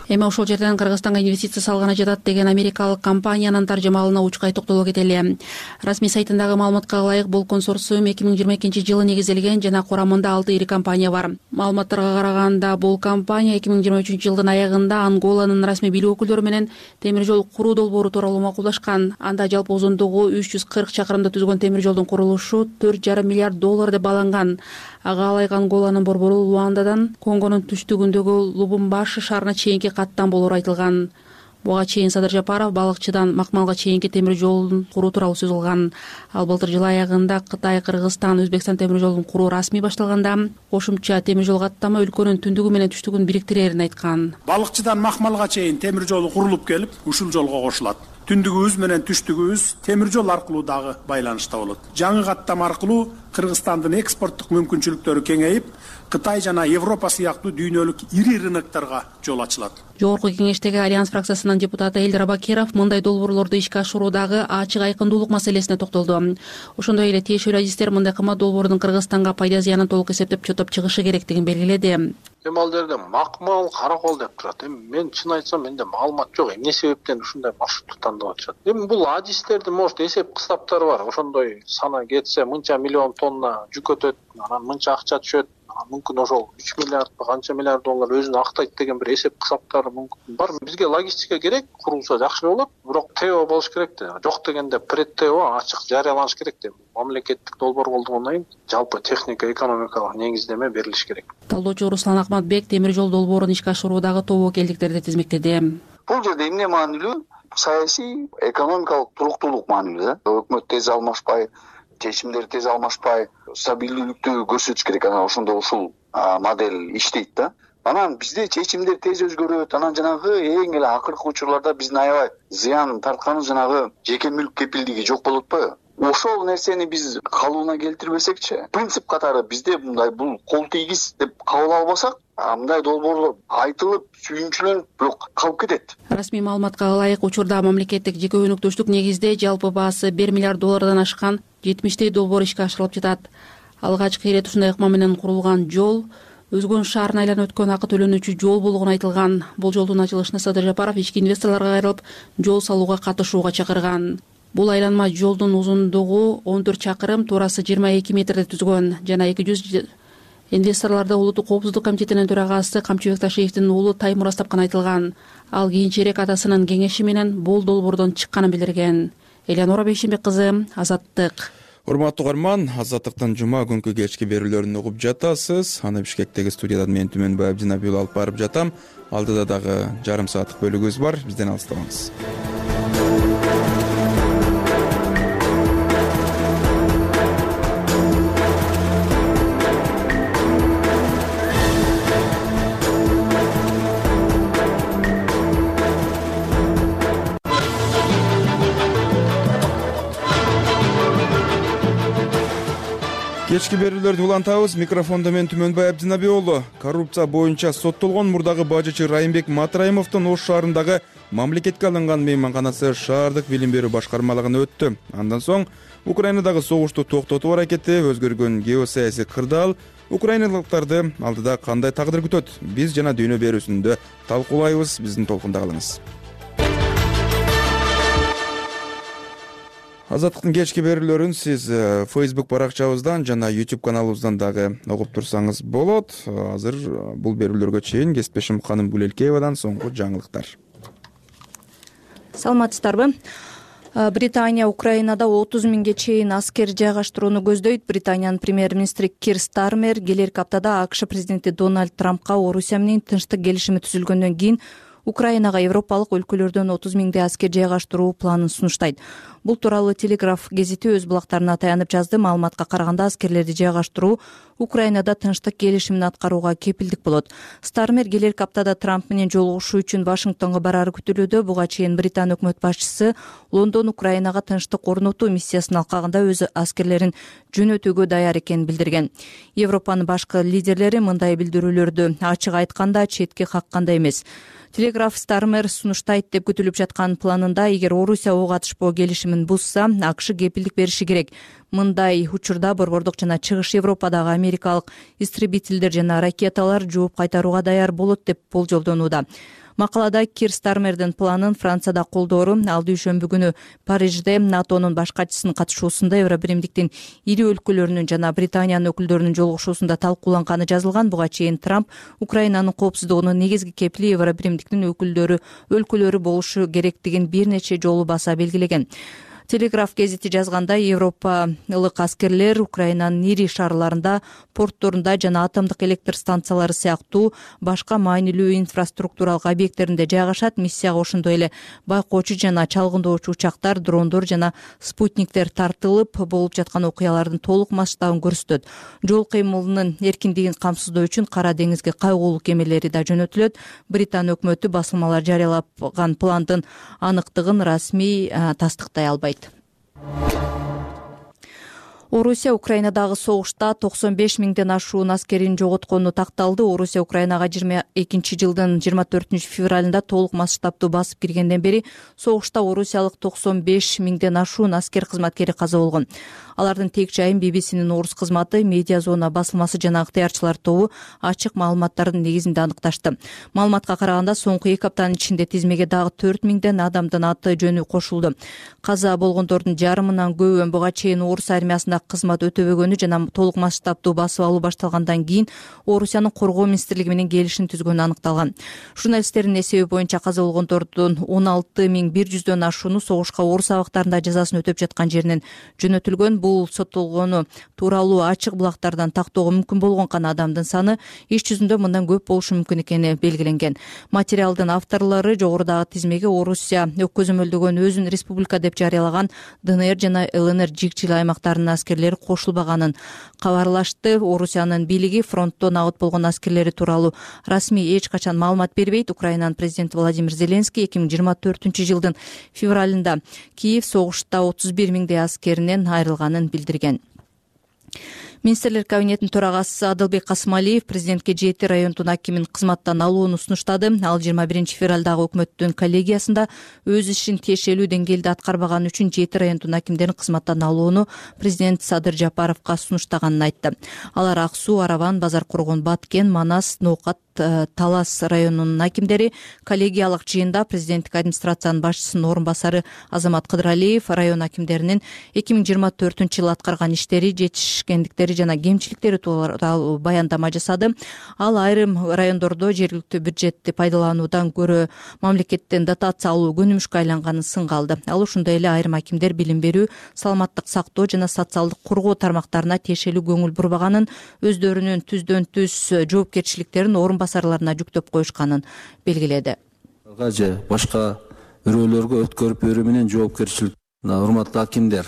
Эми ошол жерден Кыргызстанга инвестиция салганы жатат деген америкалык компаниянын таржымалына учкай токтоло кетели. Расмий сайтындагы маалыматка ылайык бул консорциум 2022 жылы негизделген жана курамында 6 ири компания бар. Маалыматтарга караганда бул компания 2023 жылдын аягында Анголанын расмий бийлик өкүлдөрү менен темир жол куруу долбоору тууралуу макулдашкан. Анда жалпы узундугу 340 чакырымды түзгөн темир жолдун курулушу $4,5 миллиард деп баланган. Ага ылайык Анголанын борбору Луандадан Конгонун түштүгүндөгү Лубумбаши шаарына чейинки каттам болору айтылган. Буга чейин Садыр Жапаров Балыкчыдан Макмалга чейинки темир жолун куруу тууралуу сөз кылган. Ал былтыр жыл аягында Кытай, Кыргызстан, Өзбекстан темир жолун куруу расмий башталганда кошумча темир жол каттама өлкөнүн түндүгү менен түштүгүн бириктирерин айткан. Балыкчыдан Макмалга чейин темир жолу курулуп келип, ушул жолго кошулат. Түндүгүбүз менен түштүгүбүз темир жол аркылуу дагы байланышта болот. Жаңы каттам аркылуу Кыргызстандын экспорттук мүмкүнчүлүктөрү кеңейип, Кытай жана Европа сыяктуу дүйнөлүк ири рынокторго жол ачылат. Жогорку кеңештеги Альянс фракциясынын депутаты Элдир Абакиров мындай долбоорлорду ишке ашыруудагы ачык айкындуулук маселесине токтолду. Ошондой эле тиешелүү адистер мындай кымбат долбоордун Кыргызстанга пайда зыянын толук эсептеп чотоп чыгышы керектигин белгиледи. Эми ал жерде Макмал, Каракол деп турат. Эми мен чын айтсам менде маалымат жок. Эмне себептен ушундай маршрутту тандап атышат? Эми бул адистердин может эсеп кыстаптары бар. Ошондой сана кетсе мынча миллион тонна жүк өтөт, анан мынча акча түшөт. Мүмкүн ошол 3 миллиард канча миллиард доллар өзүн актайт деген бир эсеп кысаптары мүмкүн бар. Бизге логистика керек, курулса жакшы болот. Бирок ТО болуш керек да. Жок дегенде пред ТО ачык жарыяланыш керек да. Мамлекеттик долбоор болгондон кийин жалпы техника экономикалык негиздеме берилиш керек. Талдоочу Руслан Акматбек темир жол долбоорун ишке ашыруудагы тобокелдиктерди тизмектеди. Бул жерде эмне маанилүү? Саясий, экономикалык туруктуулук маанилүү да. Өкмөт тез алмашпай, чечимдер тез алмашпай, стабилдүүлүктү көрсөтүш керек. Анан ошондо ушул модель иштейт да. Анан бизде чечимдер тез өзгөрөт. Анан жанагы эң эле акыркы учурларда биздин аябай зыян тартканы жанагы жеке мүлк кепилдиги жок болуп атпайбы? Ошол нерсени биз калыбына келтирбесекчи, принцип катары бизде мындай бул кол тийгиз деп кабыл албасак, мындай долбоорлор айтылып, сүйүнчүлөнүп, бирок калып кетет. Расмий маалыматка ылайык учурда мамлекеттик жеке өнөктөштүк негизде жалпы баасы $1 миллиард ашкан 70 долбоор ишке ашырылып жатат. Алгачкы ирет ушундай ыкма менен курулган жол Өзгөн шаарын айланып өткөн акы төлөнүүчү жол болгону айтылган. Бул жолдун ачылышына Садыр Жапаров ички инвесторлорго кайрылып, жол салууга катышууга чакырган. Бул айланма жолдун узундугу 14 чакырым, туурасы 22 метрди түзгөн жана 200 инвесторлорду Улуттук коопсуздук комитетинин төрагасы Камчыбек Ташиевдин уулу Таймураз тапкан айтылган. Ал кийинчерээк атасынын кеңеши менен бул долбоордон чыкканын билдирген. Элеонора Бейшенбек кызы, Азаттык. Урматтуу угарман, Азаттыктын жума күнкү кечки берүүлөрүн угуп жатасыз. Аны Бишкектеги студиядан мен Түмөнбай Абдинабиул алып барып жатам. Алдыда дагы жарым сааттык бөлүгүбүз бар. Бизден алыстабаңыз. Кечки берүүлөрдү улантабыз. Микрофондо мен Түмөнбай Абдинабиул. Коррупция боюнча соттолгон мурдагы бажычы Райымбек Матраимовдун Ош шаарындагы мамлекетке алынган мейманканасы шаардык билим берүү башкармалыгына өттү. Андан соң Украинадагы согушту токтотуу аракети, өзгөргөн геосаясий кырдаал украиналыктарды алдыда кандай тагдыр күтөт? Биз жана дүйнө берүүсүндө талкуулайбыз. Биздин толкунда калыңыз. Азаттыктын кечки берүүлөрүн сиз Facebook баракчабыздан жана YouTube каналыбыздан дагы угуп турсаңыз болот. Азыр бул берүүлөргө чейин кесиптешим Ханым Гулелкеевадан соңку жаңылыктар. Саламатсыздарбы? Британия Украинада 30 миңге чейин аскер жайгаштырууну көздөйт. Британиянын премьер-министри Кир Стармер келерки аптада АКШ президенти Дональд Трампка Орусия менен тынчтык келишими түзүлгөндөн кийин Украинага европалык өлкөлөрдөн 30 миңдей аскер жайгаштыруу планын сунуштайт. Бул тууралуу Телеграф гезити өз булактарына таянып жазды. Маалыматка караганда аскерлерди жайгаштыруу Украинада тынчтык келишимин аткарууга кепилдик болот. Стармер келерки аптада Трамп менен жолугушуу үчүн Вашингтонго барары күтүлүүдө. Буга чейин Британ өкмөт башчысы Лондон Украинага тынчтык орнотуу миссиясын алкагында өз аскерлерин жөнөтүүгө даяр экенин билдирген. Европанын башкы лидерлери мындай билдирүүлөрдү ачык айтканда четке каккандай эмес. Телеграф Стармер сунуштайт деп күтүлүп жаткан планында эгер Орусия ок атышпоо келишимин бузса, АКШ кепилдик бериши керек. Мындай учурда борбордук жана чыгыш Европадагы америкалык истребительдер жана ракеталар жооп кайтарууга даяр болот деп болжолдонууда. Макалада Кир Стармердин планын Францияда колдоору, ал дүйшөмбү күнү Парижде НАТОнун баш катчысынын катышуусунда Евробиримдиктин ири өлкөлөрүнүн жана Британиянын өкүлдөрүнүн жолугушуусунда талкууланганы жазылган. Буга чейин Трамп Украинанын коопсуздугунун негизги кепили Евробиримдиктин өлкөлөрү болушу керектигин бир нече жолу баса белгилеген. Телеграф гезити жазганда европалык аскерлер Украинанын ири шаарларында, портторунда жана атомдук электр станциялары сыяктуу башка маанилүү инфраструктуралык объекттеринде жайгашат. Миссияга ошондой эле байкоочу жана чалгындоочу учактар, дрондор жана спутниктер тартылып, болуп жаткан окуялардын толук масштабын көрсөтөт. Жол кыймылынын эркиндигин камсыздоо үчүн Кара деңизге кайгуулуу кемелери да жөнөтүлөт. Британ өкмөтү басылмалар жарыялаган пландын аныктыгын расмий тастыктай албайт. Орусия Украинадагы согушта 95 миңден ашуун аскерин жоготкону такталды. Орусия Украинага 22 жылдын 24 февралында толук масштабтуу басып киргенден бери согушта орусиялык 95 миңден ашуун аскер кызматкери каза болгон. Алардын тек жайын BBC-нин орус кызматы, Медиа зона басылмасы жана ыктыярчылар тобу ачык маалыматтардын негизинде аныкташты. Маалыматка караганда соңку 2 аптанын ичинде тизмеге дагы 4 миңден адамдын аты жөнү кошулду. Каза болгондордун жарымынан көбү буга чейин орус армиясында кызмат өтөбөгөнү жана толук масштабтуу басып алуу башталгандан кийин Орусиянын коргоо министрлиги менен келишим түзгөнү аныкталган. Журналисттердин эсеби боюнча каза болгондордун 16.100дөн ашууну согушка орус абактарында жазасын өтөп жаткан жеринен жөнөтүлгөн. Бул соттолгону тууралуу ачык булактардан тактоого мүмкүн болгон гана адамдын саны иш жүзүндө мындан көп болушу мүмкүн экени белгиленген. Материалдын авторлору жогорудагы тизмеге Орусия көзөмөлдөгөн өзүн республика деп жарыялаган ДНР жана ЛНР жикчил аймактарынын аскерлери кошулбаганын кабарлашты. Орусиянын бийлиги фронттон аут болгон аскерлери тууралуу расмий эч качан маалымат бербейт. Украинанын президенти Владимир Зеленский 2024 жылдын февралында Киев согушта 31 миңдей аскеринен айрылганын билдирген. Министрлер кабинетинин төрагасы Адылбек Касымалиев президентке 7 райондун акимин кызматтан алууну сунуштады. Ал 21 февралдагы өкмөттүн коллегиясында өз ишин тиешелүү деңгээлде аткарбаганы үчүн 7 райондун акимдерин кызматтан алууну президент Садыр Жапаровго сунуштаганын айтты. Алар Ак Суу, Араван, Базар Коргон, Баткен, Манас, Ноокат, Талас районунун акимдери. Коллегиялык жыйында президенттик администрациянын башчысынын орун басары Азамат Кыдыралиев район акимдеринин 2024-жылы аткарган иштери, жетишкендиктери жана кемчиликтери тууралуу баяндама жасады. Ал айрым райондордо жергиликтүү бюджетти пайдалануудан көрө мамлекеттен дотация алуу көнүмүшкө айланганын сынга алды. Ал ошондой эле айрым акимдер билим берүү, саламаттык сактоо жана социалдык коргоо тармактарына тиешелүү көңүл бурбаганын, өздөрүнүн түздөн түз жоопкерчиликтерин орун басарларына жүктөп коюшканын белгиледи. Же башка бирөөлөргө өткөрүп берүү менен жоопкерчилик. Урматтуу акимдер,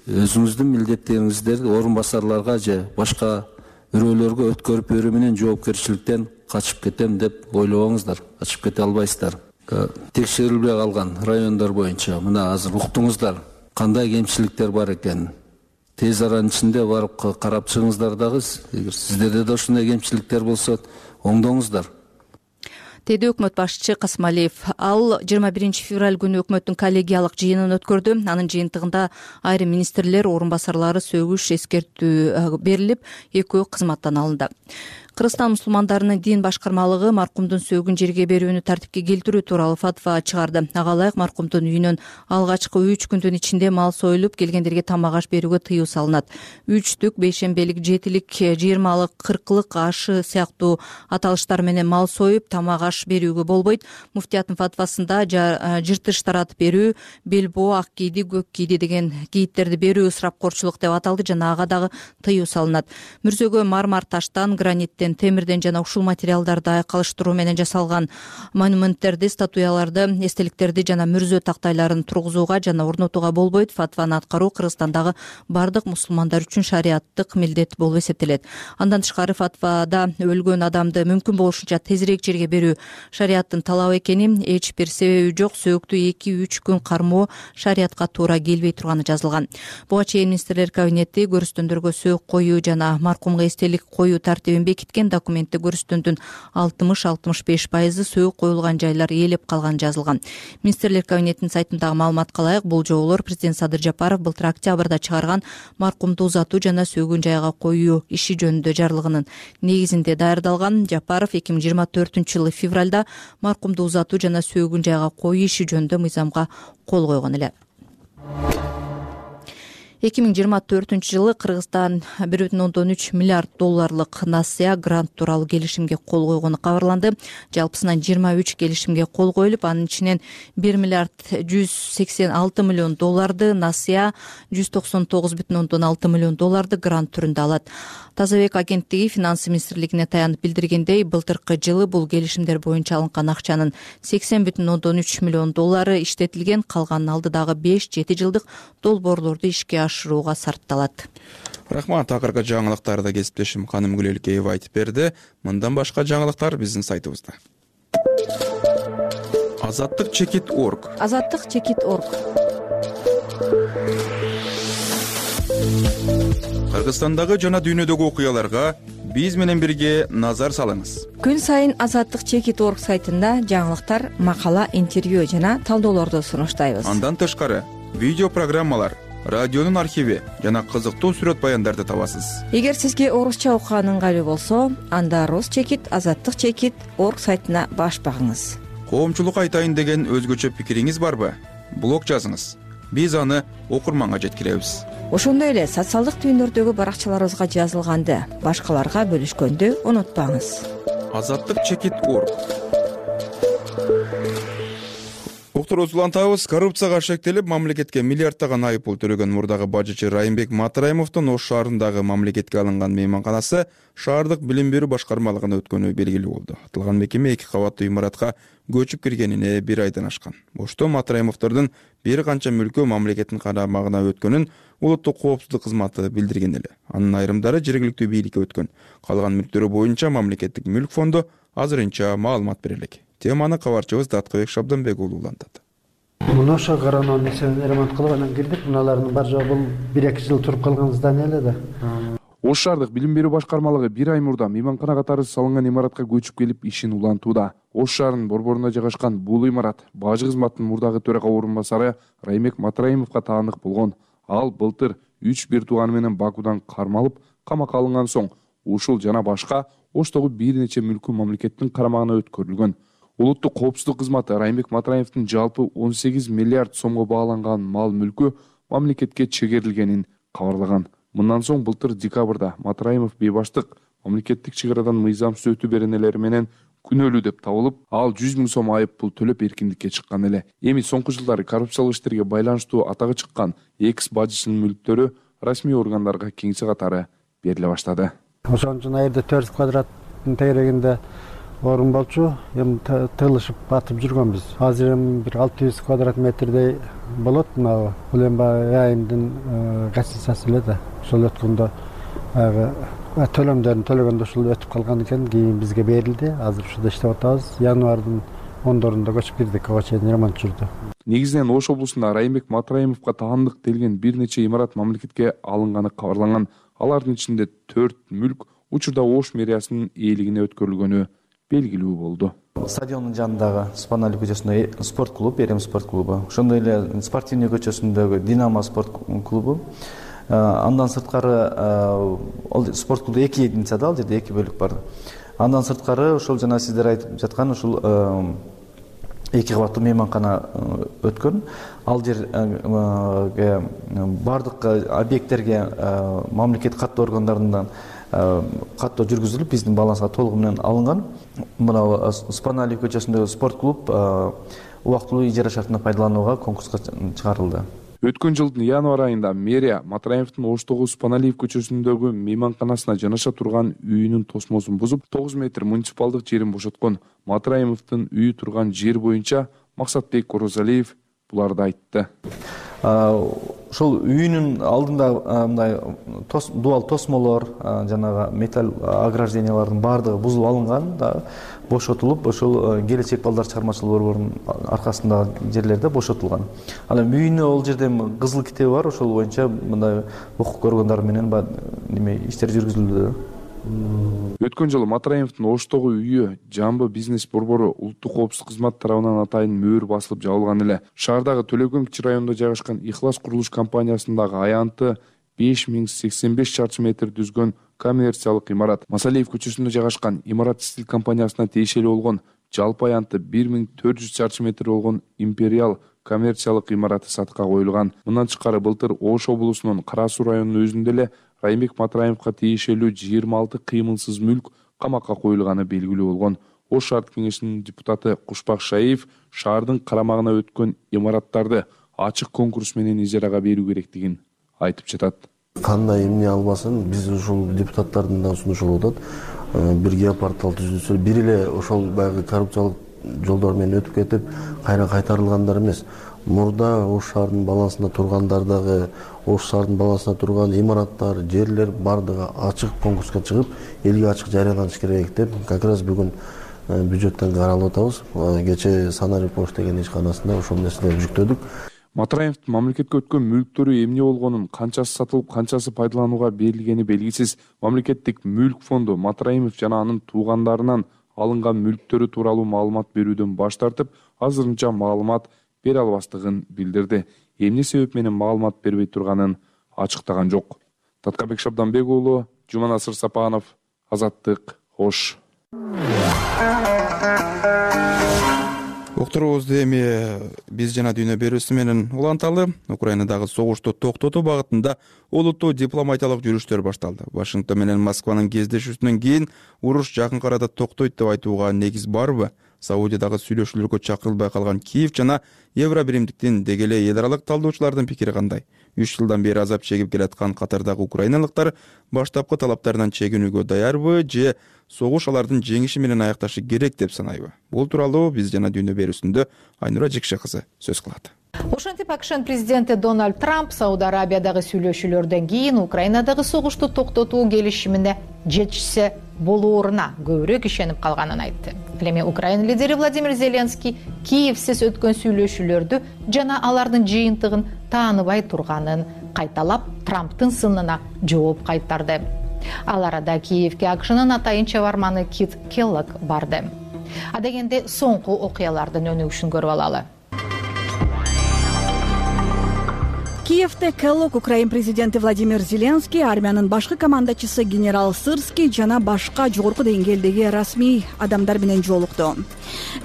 өзүңүздүн милдеттериңизди орун басарларга же башка бирөөлөргө өткөрүп берүү менен жоопкерчиликтен качып кетем деп ойлобоңуздар. Качып кете албайсыздар. Текшерилбей калган райондор боюнча мына азыр уктуңуздар кандай кемчиликтер бар экенин. Тез аранын ичинде барып карап чыгыңыздар дагы. Эгер сиздерде да ушундай кемчиликтер болсо оңдоңуздар. Деди өкмөт башчы Касымалиев. Ал 21 февраль күнү өкмөттүн коллегиялык жыйынын өткөрдү. Анын жыйынтыгында айрым министрлер, орун басарлары сөгүш эскертүү берилип, экөө кызматтан алынды. Кыргызстан мусулмандарынын дин башкармалыгы маркумдун сөөгүн жерге берүүнү тартипке келтирүү тууралуу фатва чыгарды. Ага ылайык маркумдун үйүнөн алгачкы 3 күндүн ичинде мал союлуп, келгендерге тамак аш берүүгө тыюу салынат. 3-түк, 5-шембелик, 7-лик, 20-лык, 40-лык ашы сыяктуу аталыштар менен мал союп, тамак аш берүүгө болбойт. Муфтияттын фатвасында жыртыш таратып берүү, белбоо, ак кийди, көк кийди деген кийиттерди берүү ысырапкорчулук деп аталды жана ага дагы тыюу салынат. Мүрзөгө мармар таштан, граниттен, темирден жана ушул материалдарды айкалыштыруу менен жасалган монументтерди, статуяларды, эстеликтерди жана мүрзө тактайларын тургузууга жана орнотууга болбойт. Фатваны аткаруу Кыргызстандагы бардык мусулмандар үчүн шариаттык милдет болуп эсептелет. Андан тышкары фатвада өлгөн адамды мүмкүн болушунча тезирээк жерге берүү шариаттын талабы экени, эч бир себеби жок сөөктү 2-3 күн кармоо шариятка туура келбей турганы жазылган. Буга чейин министрлер кабинети көрүстөндөргө сөөк коюу жана маркумга эстелик коюу тартибин бекиткен. Документте көрүстөндүн 60-65% сөөк коюлган жайлар ээлеп калганы жазылган. Министрлер кабинетинин сайтындагы маалыматка ылайык бул жоболор президент Садыр Жапаров былтыр октябрда чыгарган маркумду узатуу жана сөөгүн жайга коюу иши жөнүндө жарлыгынын негизинде даярдалган. Жапаров 2024-жылы февралда маркумду узатуу жана сөөгүн жайга коюу иши жөнүндө мыйзамга кол койгон эле. 2024-жылы Кыргызстан 1,3 миллиард долларлык насыя грант тууралуу келишимге кол койгону кабарланды. Жалпысынан 23 келишимге кол коюлуп, анын ичинен 1 миллиард 186 миллион долларды насыя, 199,6 миллион долларды грант түрүндө алат. Тазабек агенттиги финансы министрлигине таянып билдиргендей, былтыркы жылы бул келишимдер боюнча алынган акчанын 80,3 миллион доллары иштетилген, калганын алдыдагы 5-7 жылдык долбоорлорду ишке ашырууга сарпталат. Рахмат. Акыркы жаңылыктарды кесиптешим Каным Гүлелкеева айтып берди. Мындан башка жаңылыктар биздин сайтыбызда. Азаттык чекит.org. Азаттык чекит.org. Кыргызстандагы жана дүйнөдөгү окуяларга биз менен бирге назар салыңыз. Күн сайын Азаттык чекит.org сайтында жаңылыктар, макала, интервью жана талдоолорду сунуштайбыз. Андан тышкары видео программалар, радионун архиви жана кызыктуу сүрөт баяндарды табасыз. Эгер сизге орусча окуган ыңгайлуу болсо, анда Рус чекит, Азаттык чекит.org сайтына баш багыңыз. Коомчулукка айтайын деген өзгөчө пикириңиз барбы? Блог жазыңыз. Биз аны окурманга жеткиребиз. Ошондой эле социалдык түйүндөрдөгү баракчаларыбызга жазылганды башкаларга бөлүшкөндү унутпаңыз. Азаттык чекит.org. Доктор Улантабыз коррупцияга шектелип, мамлекетке миллиардтаган айыппул төлөгөн мурдагы бажычы Райымбек Матраимовдун Ош шаарындагы мамлекетке алынган мейманканасы шаардык билим берүү башкармалыгына өткөнү белгилүү болду. Аталган мекеме 2 кабаттуу имаратка көчүп киргенине 1 айдан ашкан. Ошто Матраимовдордун бир канча мүлкү мамлекеттин карамагына өткөнүн улуттук коопсуздук кызматы билдирген эле. Анын айрымдары жергиликтүү бийликке өткөн. Калган мүлктөрү боюнча мамлекеттик мүлк фонду азырынча маалымат бере элек. Теманы кабарчыбыз Даткыбек Шабданбек улантат. Муну ошо коронанын несен ремонт кылып анан кирдик. Муналардын бар жогу бул 1-2 жыл туруп калган здание эле да. Ош шаардык билим берүү башкармалыгы бир ай мурда мейманкана катары салынган имаратка көчүп келип ишин улантууда. Ош шаарынын борборунда жайгашкан бул имарат бажы кызматынын мурдагы төрага орун басары Раймек Матраимовго таандык болгон. Ал былтыр 3 бир тууганы менен Бакудан кармалып, камакка алынган соң ушул жана башка Оштогу бир нече мүлкү мамлекеттин карамагына өткөрүлгөн. Улуттук коопсуздук кызматы Раймек Матраимовдун жалпы 18 миллиард сомго бааланган мал мүлкү мамлекетке чегерилгенин кабарлаган. Мындан соң былтыр декабрда Матраимов бейбаштык мамлекеттик чек арадан мыйзамсыз өтүү беренелери менен күнөөлүү деп табылып, ал 100 000 сом айып пул төлөп эркиндикке чыккан эле. Эми соңку жылдары коррупциялык иштерге байланыштуу атагы чыккан экс бажычынын мүлктөрү расмий органдарга кеңсе катары бериле баштады. Ошон үчүн айрда 400 квадраттын тегерегинде орун болчу, эми тыгылышып батып жүргөнбүз. Азыр эми бир 600 квадрат метрдей болот. Мына бул эми айымдын гостиницасы эле да. Ошол өткөндө төлөмдөрүн төлөгөндө ушул өтүп калган экен, кийин бизге берилди. Азыр ушуда иштеп атабыз. Январдын 10-дорунда көчүп кирдик, ага чейин ремонт жүрдү. Негизинен Ош облусунда Раймек Матраимовго таандык делген бир нече имарат мамлекетке алынганы кабарланган. Алардын ичинде 4 мүлк учурда Ош мэриясынын ээлигине өткөрүлгөнү белгилүү болду. Стадиондун жанындагы Спанали көчөсүндөгү спорт клуб, Эрем спорт клубу, ошондой эле Спортивный көчөсүндөгү Динамо спорт клубу. Андан сырткары спорт клубу 2 единицада, ал жерде 2 бөлүк бар. Андан сырткары ошол жана сиздер айтып жаткан ушул 2 кабаттуу мейманкана өткөн. Ал жерге бардык объекттерге мамлекет каттоо органдарынан каттоо жүргүзүлүп, биздин балансга толугу менен алынган. Мына Спанали көчөсүндөгү спорт клуб убактылуу ижара шартына пайдаланууга конкурска чыгарылды. Өткөн жылдын январь айында мэрия Матраимовдун Оштогу Спаналиев көчөсүндөгү мейманканасына жанаша турган үйүнүн тосмосун бузуп, 9 метр муниципалдык жерин бошоткон. Матраимовдун үйү турган жер боюнча Максатбек Орозалиев буларды айтты. Ошол үйүнүн алдында мындай дуал тосмолор, жанагы металл ограждениялардын баардыгы бузулуп алынган да, бошотулуп, ошол келечек балдар чыгармачылык борборунун аркасындагы жерлерде бошотулган. Ал эми үйүнө ол жерде кызыл китеби бар, ошол боюнча мындай укук органдары менен иштер жүргүзүлдү. Өткөн жылы Матраимовдун Оштогу үйү Жамбы бизнес борбору улуттук коопсуздук кызматы тарабынан атайын мөөр басылып жабылган эле. Шаардагы Төлөгөн кичи районунда жайгашкан Ихлас курулуш компаниясындагы аянты 5085 чарчы метр түзгөн коммерциялык имарат. Масалиев көчөсүндө жайгашкан Имарат Стиль компаниясына тиешелүү болгон жалпы аянты 1400 чарчы метр болгон Империал коммерциялык имараты сатыкка коюлган. Мындан тышкары былтыр Ош облусунун Кара Суу районунун өзүндө эле Раймек Матраимовго тиешелүү 26 кыймылсыз мүлк камакка коюлганы белгилүү болгон. Ош шаардык кеңешинин депутаты Кушбак Шаиев шаардын карамагына өткөн имараттарды ачык конкурс менен ижарага берүү керектигин айтып жатат. Кандай эмне албасын, биз ушул депутаттардын да сунушу болот. Бир геопортал түзүлсө, бир эле ошол баягы коррупциялык жолдор менен өтүп кетип, кайра кайтарылгандар эмес. Мурда Ош шаарынын балансында тургандар дагы, Ош шаарынын балансында турган имараттар, жерлер бардыгы ачык конкурска чыгып, элге ачык жарыяланыш керек деп, как раз бүгүн бюджеттен каралып атабыз. Кече Санари Пош деген ишканасында ошол нерселерди жүктөдүк. Матраимовдун мамлекетке өткөн мүлктөрү эмне болгонун, канчасы сатылып, канчасы пайдаланууга берилгени белгисиз. Мамлекеттик мүлк фонду Матраимов жана анын туугандарынан алынган мүлктөрү тууралуу маалымат берүүдөн баш тартып, азырынча маалымат бере албастыгын билдирди. Эмне себеп менен маалымат бербей турганын ачыктаган жок. Таткабек Шабданбек уулу, Жуманасыр Сапанов, Азаттык, Ош. Уктуруубузду эми биз жана дүйнө берүүсү менен уланталы. Украинадагы согушту токтотуу багытында олуттуу дипломатиялык жүрүштөр башталды. Вашингтон менен Москванын кездешүүсүнөн кийин уруш жакын арада токтойт деп айтууга негиз барбы? Саудиядагы сүйлөшүүлөргө чакырылбай калган Киев жана Евробиримдиктин деги эле эл аралык талдоочулардын пикири кандай? 3 жылдан бери азап чегип келаткан катардагы украиналыктар баштапкы талаптарынан чегинүүгө даярбы же согуш алардын жеңиши менен аякташы керек деп санайбы? Бул тууралуу биз жана дүйнө берүүсүндө Айнура Жекше кызы сөз кылат. Ошентип АКШнын президенти Дональд Трамп Сауд Арабиядагы сүйлөшүүлөрдөн кийин Украинадагы согушту токтотуу келишимине жетишсе болооруна көбүрөөк ишенип калганын айтты. Эми Украина лидери Владимир Зеленский Киевсиз өткөн сүйлөшүүлөрдү жана алардын жыйынтыгын тааныбай турганын кайталап, Трамптын сынына жооп кайтарды. Ал арада Киевге АКШнын атайын чабарманы Кит Келлог барды. Адегенде соңку окуялардын өнүгүшүн көрүп алалы. Киевде Келлог Украин президенти Владимир Зеленский, армиянын башкы командачысы генерал Сырский жана башка жогорку деңгээлдеги расмий адамдар менен жолукту.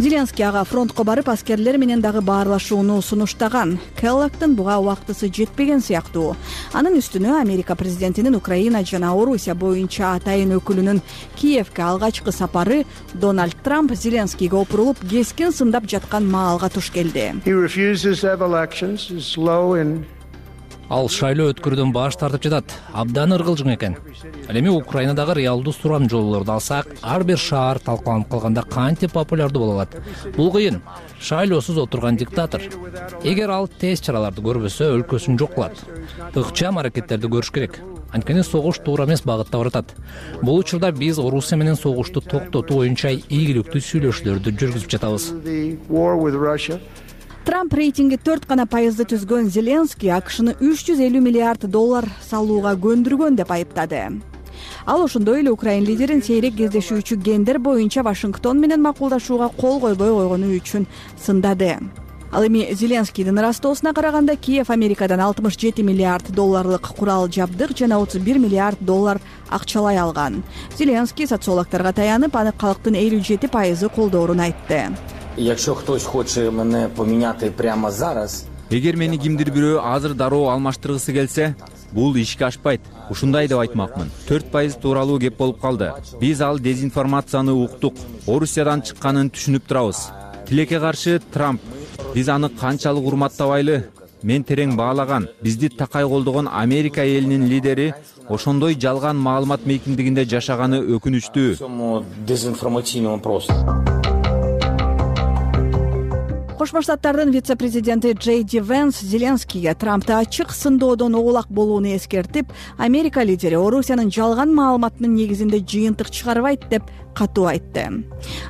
Зеленский ага фронтко барып, аскерлер менен дагы баарлашууну сунуштаган. Келлогдун буга убактысы жетпеген сыяктуу. Анын үстүнө Америка президентинин Украина жана Орусия боюнча атайын өкүлүнүн Киевге алгачкы сапары Дональд Трамп Зеленскийге опурулуп, кескин сындап жаткан маалга туш келди. Ал шайлоо өткөрүүдөн баш тартып жатат. Абдан ыргылжың экен. Ал эми Украинадагы реалдуу сурамжоолорду алсак, ар бир шаар талкаланып калганда кантип популярдуу боло алат? Бул кыйын. Шайлоосуз отурган диктатор. Эгер ал тез чараларды көрбөсө, өлкөсүн жок кылат. Ыкчам аракеттерди көрүш керек. Анткени согуш туура эмес багытта баратат. Бул учурда биз Орусия менен согушту токтотуу боюнча ийгиликтүү сүйлөшүүлөрдү жүргүзүп жатабыз. Трамп рейтинги 4% түзгөн Зеленский АКШны $350 миллиард салууга көндүргөн деп айыптады. Ал ошондой эле Украин лидерин сейрек кездешүүчү гендер боюнча Вашингтон менен макулдашууга кол койбой койгону үчүн сындады. Ал эми Зеленскийдин ырастоосуна караганда Киев Америкадан $67 миллиард курал жабдык жана $31 миллиард акчалай алган. Зеленский социологторго таянып, аны калктын 57% колдоорун айтты. Якщо хтось хоче мене поміняти прямо зараз, эгер мени кимдир бирөө азыр дароо алмаштыргысы келсе, бул ишке ашпайт. Ушундай деп айтмакмын. 4% тууралуу кеп болуп калды. Биз ал дезинформацияны уктук. Орусиядан чыкканын түшүнүп турабыз. Тилекке каршы Трамп. Биз аны канчалык урматтабайлы? Мен терең баалаган, бизди такай колдогон Америка элинин лидери ошондой жалган маалымат мейкиндигинде жашаганы өкүнүчтүү. Кошмо Штаттардын вице-президенти Джей Ди Венс Зеленскийге Трампты ачык сындоодон оолак болууну эскертип, Америка лидери Орусиянын жалган маалыматынын негизинде жыйынтык чыгарбайт деп катуу айтты.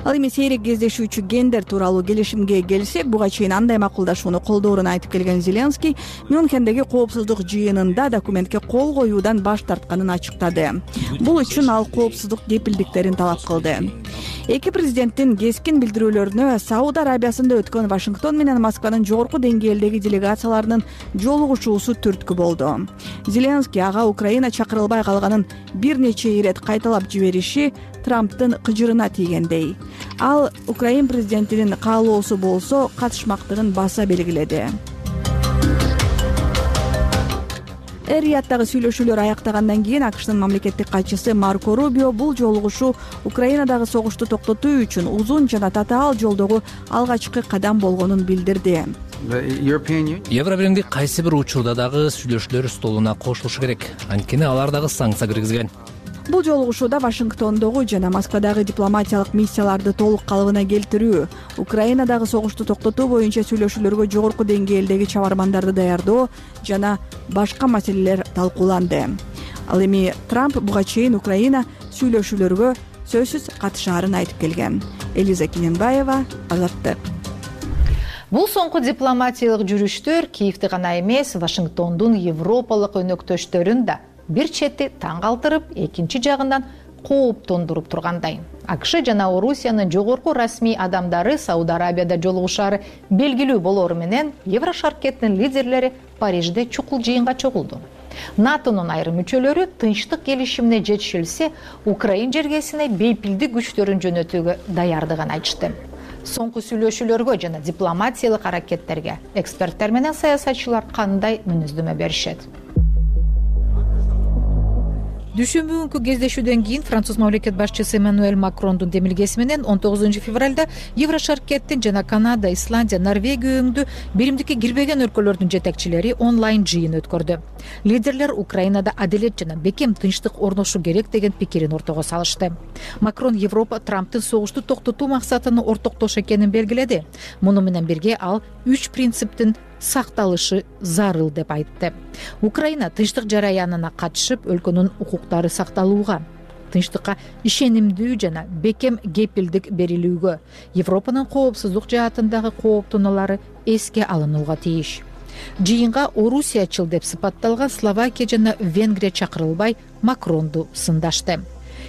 Ал эми сейрек кездешүүчү гендер тууралуу келишимге келсек, буга чейин андай макулдашууну колдоорун айтып келген Зеленский Мюнхендеги коопсуздук жыйынында документке кол коюудан баш тартканын ачыктады. Бул үчүн ал коопсуздук кепилдиктерин талап кылды. Эки президенттин кескин билдирүүлөрүнө Сауд Арабиясында өткөн Вашингтон менен Москванын жогорку деңгээлдеги делегацияларынын жолугушуусу түрткү болду. Зеленский ага Украина чакырылбай калганын бир нече ирет кайталап жибериши Трамптын кыжырына тийгендей. Ал Украин президентинин каалоосу болсо катышмактыгын баса белгиледи. Эр-Рияттагы сүйлөшүүлөр аяктагандан кийин АКШнын мамлекеттик катчысы Марко Рубио бул жолугушуу Украинадагы согушту токтотуу үчүн узун жана татаал жолдогу алгачкы кадам болгонун билдирди. Евробиримдик кайсы бир учурда дагы сүйлөшүүлөр столуна кошулушу керек. Анткени алар дагы санкция киргизген. Бул жолугушууда Вашингтондогу жана Москвадагы дипломатиялык миссияларды толук калыбына келтирүү, Украинадагы согушту токтотуу боюнча сүйлөшүүлөргө жогорку деңгээлдеги чабармандарды даярдоо жана башка маселелер талкууланды. Ал эми Трамп буга чейин Украина сүйлөшүүлөргө сөзсүз катышаарын айтып келген. Элиза Кененбаева, Азаттык. Бул соңку дипломатиялык жүрүштөр Киевди гана эмес, Вашингтондун европалык өнөктөштөрүн да бир чети таң калтырып, экинчи жагынан кооптондуруп тургандай. АКШ жана Орусиянын жогорку расмий адамдары Сауд Арабияда жолугушаары белгилүү болору менен Еврошаркеттин лидерлери Парижде чукул жыйынга чогулду. НАТОнун айрым мүчөлөрү тынчтык келишимине жетишилсе, Украин жергесине бейпилдик күчтөрүн жөнөтүүгө даярдыгын айтышты. Соңку сүйлөшүүлөргө жана дипломатиялык аракеттерге эксперттер менен саясатчылар кандай мүнөздөмө беришет? Дүйшөмбү күнкү кездешүүдөн кийин Француз мамлекет башчысы Эммануэль Макрондун демилгеси менен 19 февралда Еврошаркеттин жана Канада, Исландия, Норвегия өңдү биримдикке кирбеген өлкөлөрдүн жетекчилери онлайн жыйын өткөрдү. Лидерлер Украинада адилет жана бекем тынчтык орношу керек деген пикирин ортого салышты. Макрон Европа Трамптын согушту токтотуу максатыны ортоктош экенин белгиледи. Муну менен бирге ал 3 принциптин сакталышы зарыл деп айтты. Украина тынчтык жараянына катышып, өлкөнүн укуктары сакталууга, тынчтыкка ишенимдүү жана бекем кепилдик берилүүгө, Европанын коопсуздук жаатындагы кооптонуулары эске алынууга тийиш. Жыйынга орусиячыл деп сыпатталган Словакия жана Венгрия чакырылбай Макронду сындашты.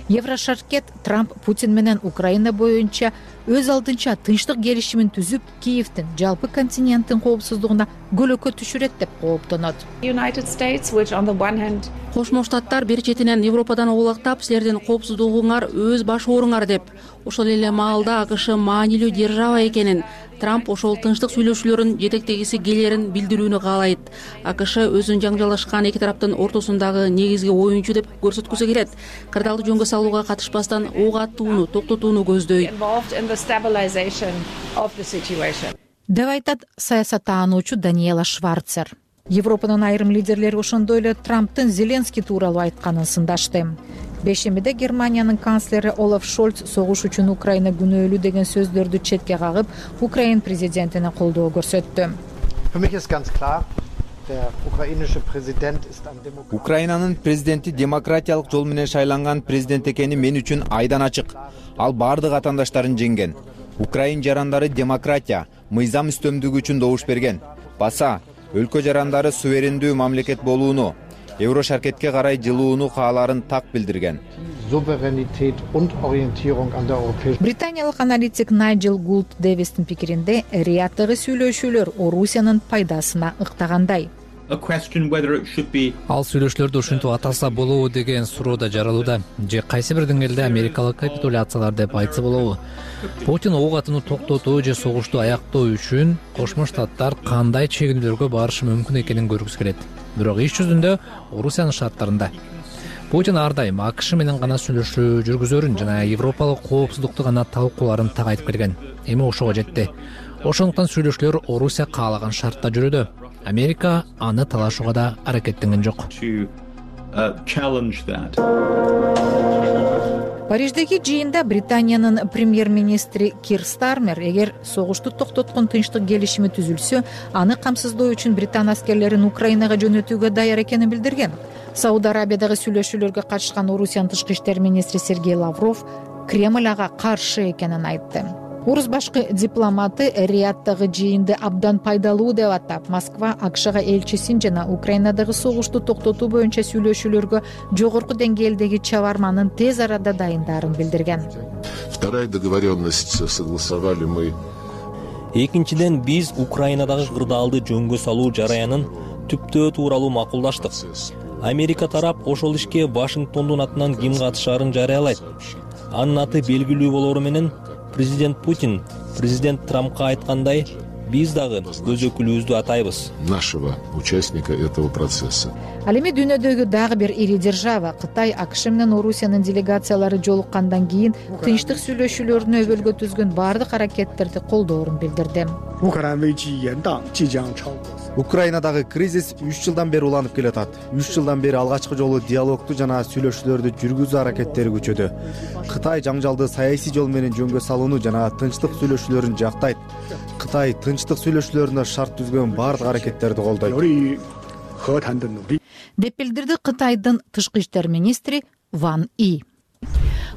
Еврошаркет Трамп Путин менен Украина боюнча өз алдынча тынчтык келишимин түзүп, Киевдин жалпы континенттин коопсуздугуна көлөкө түшүрөт деп кооптонот. Кошмо Штаттар бир четинен Европадан оолактап, силердин коопсуздугуңар өз баш ооруңар деп, ошол эле маалда АКШ маанилүү держава экенин, Трамп ошол тынчтык сүйлөшүүлөрүн жетектегиси келерин билдирүүнү каалайт. АКШ өзүн жаңжалашкан эки тараптын ортосундагы негизги оюнчу деп көрсөткүсү келет. Кырдаалды жөнгө салууга катышпастан ок аттууну токтотууну көздөйт деп айтат саясаттаануучу Даниэла Шварцер. Европанын айрым лидерлери ошондой эле Трамптын Зеленский тууралуу айтканын сындашты. Бешембиде Германиянын канцлери Олаф Шольц согуш үчүн Украина күнөөлүү деген сөздөрдү четке кагып, Украин президентине колдоо көрсөттү. Украинанын президенти демократиялык жол менен шайланган президент экени мен үчүн айдан ачык. Ал бардык атаандаштарын жеңген. Украин жарандары демократия, мыйзам үстөмдүгү үчүн добуш берген. Баса, өлкө жарандары суверендүү мамлекет болууну, Еврошаркетке карай жылууну кааларын так билдирген. Британиялык аналитик Найджел Гулд Дэвистин пикиринде, Рияддагы сүйлөшүүлөр Орусиянын пайдасына ыктагандай. Ал сүйлөшүүлөрдү ушинтип атаса болобу деген суроо да жаралууда. Же кайсы бир деңгээлде америкалык капитуляциялар деп айтса болобу? Путин ок атууну токтотуу же согушту аяктоо үчүн Кошмо Штаттар кандай чегиндүүлөргө барышы мүмкүн экенин көргүсү келет. Бирок иш жүзүндө Орусиянын шарттарында Путин ар дайым АКШ менен гана сүйлөшүү жүргүзөрүн жана европалык коопсуздукту гана талкууларын так айтып келген. Эми ошого жетти. Ошондуктан сүйлөшүүлөр Орусия каалаган шартта жүрүүдө. Америка аны талашууга да аракеттенген жок. Париждеги жыйында Британиянын премьер-министри Кир Стармер эгер согушту токтоткон тынчтык келишими түзүлсө, аны камсыздоо үчүн Британ аскерлерин Украинага жөнөтүүгө даяр экенин билдирген. Сауд Арабиядагы сүйлөшүүлөргө катышкан Орусиянын тышкы иштер министри Сергей Лавров Кремль ага каршы экенин айтты. Орус башкы дипломаты Рияддагы жыйынды абдан пайдалуу деп атап, Москва АКШга элчисин жана Украинадагы согушту токтотуу боюнча сүйлөшүүлөргө жогорку деңгээлдеги чабарманын тез арада дайындарын билдирген. Вторая договоренность согласовали мы. Экинчиден биз Украинадагы кырдаалды жөнгө салуу жараянын түптөө тууралуу макулдаштык. Америка тарап ошол ишке Вашингтондун атынан ким катышаарын жарыялайт. Анын аты белгилүү болору менен президент Путин президент Трампка айткандай, биз дагы өз өкүлүбүздү атайбыз. Нашего участника этого процесса. Ал эми дүйнөдөгү дагы бир ири держава Кытай АКШ менен Орусиянын делегациялары жолуккандан кийин тынчтык сүйлөшүүлөрүнө өбөлгө түзгөн бардык аракеттерди колдоорун билдирди. Украинадагы кризис 3 жылдан бери уланып келатат. 3 жылдан бери алгачкы жолу диалогту жана сүйлөшүүлөрдү жүргүзүү аракеттери күчөдү. Кытай жаңжалды саясий жол менен жөнгө салууну жана тынчтык сүйлөшүүлөрүн жактайт. Кытай тынчтык сүйлөшүүлөрүнө шарт түзгөн бардык аракеттерди колдойт деп билдирди Кытайдын тышкы иштер министри Ван И.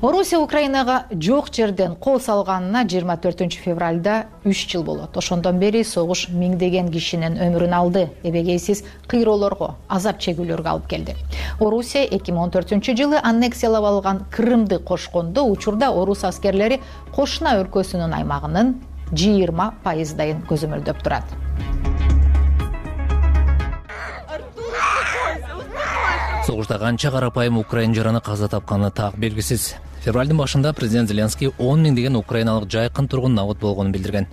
Орусия Украинага жок жерден кол салганына 24-февралда 3 жыл болот. Ошондон бери согуш миңдеген кишинин өмүрүн алды, эбегейсиз кыйроолорго, азап чегүүлөргө алып келди. Орусия 2014-жылы аннексиялап алган Крымды кошкондо учурда орус аскерлери кошуна өлкөсүнүн аймагынын 20% көзөмөлдөп турат. Согушта канча карапайым украин жараны каза тапканы так белгисиз. Февралдын башында президент Зеленский 10 миңдеген украиналык жайкын тургун набыт болгонун билдирген.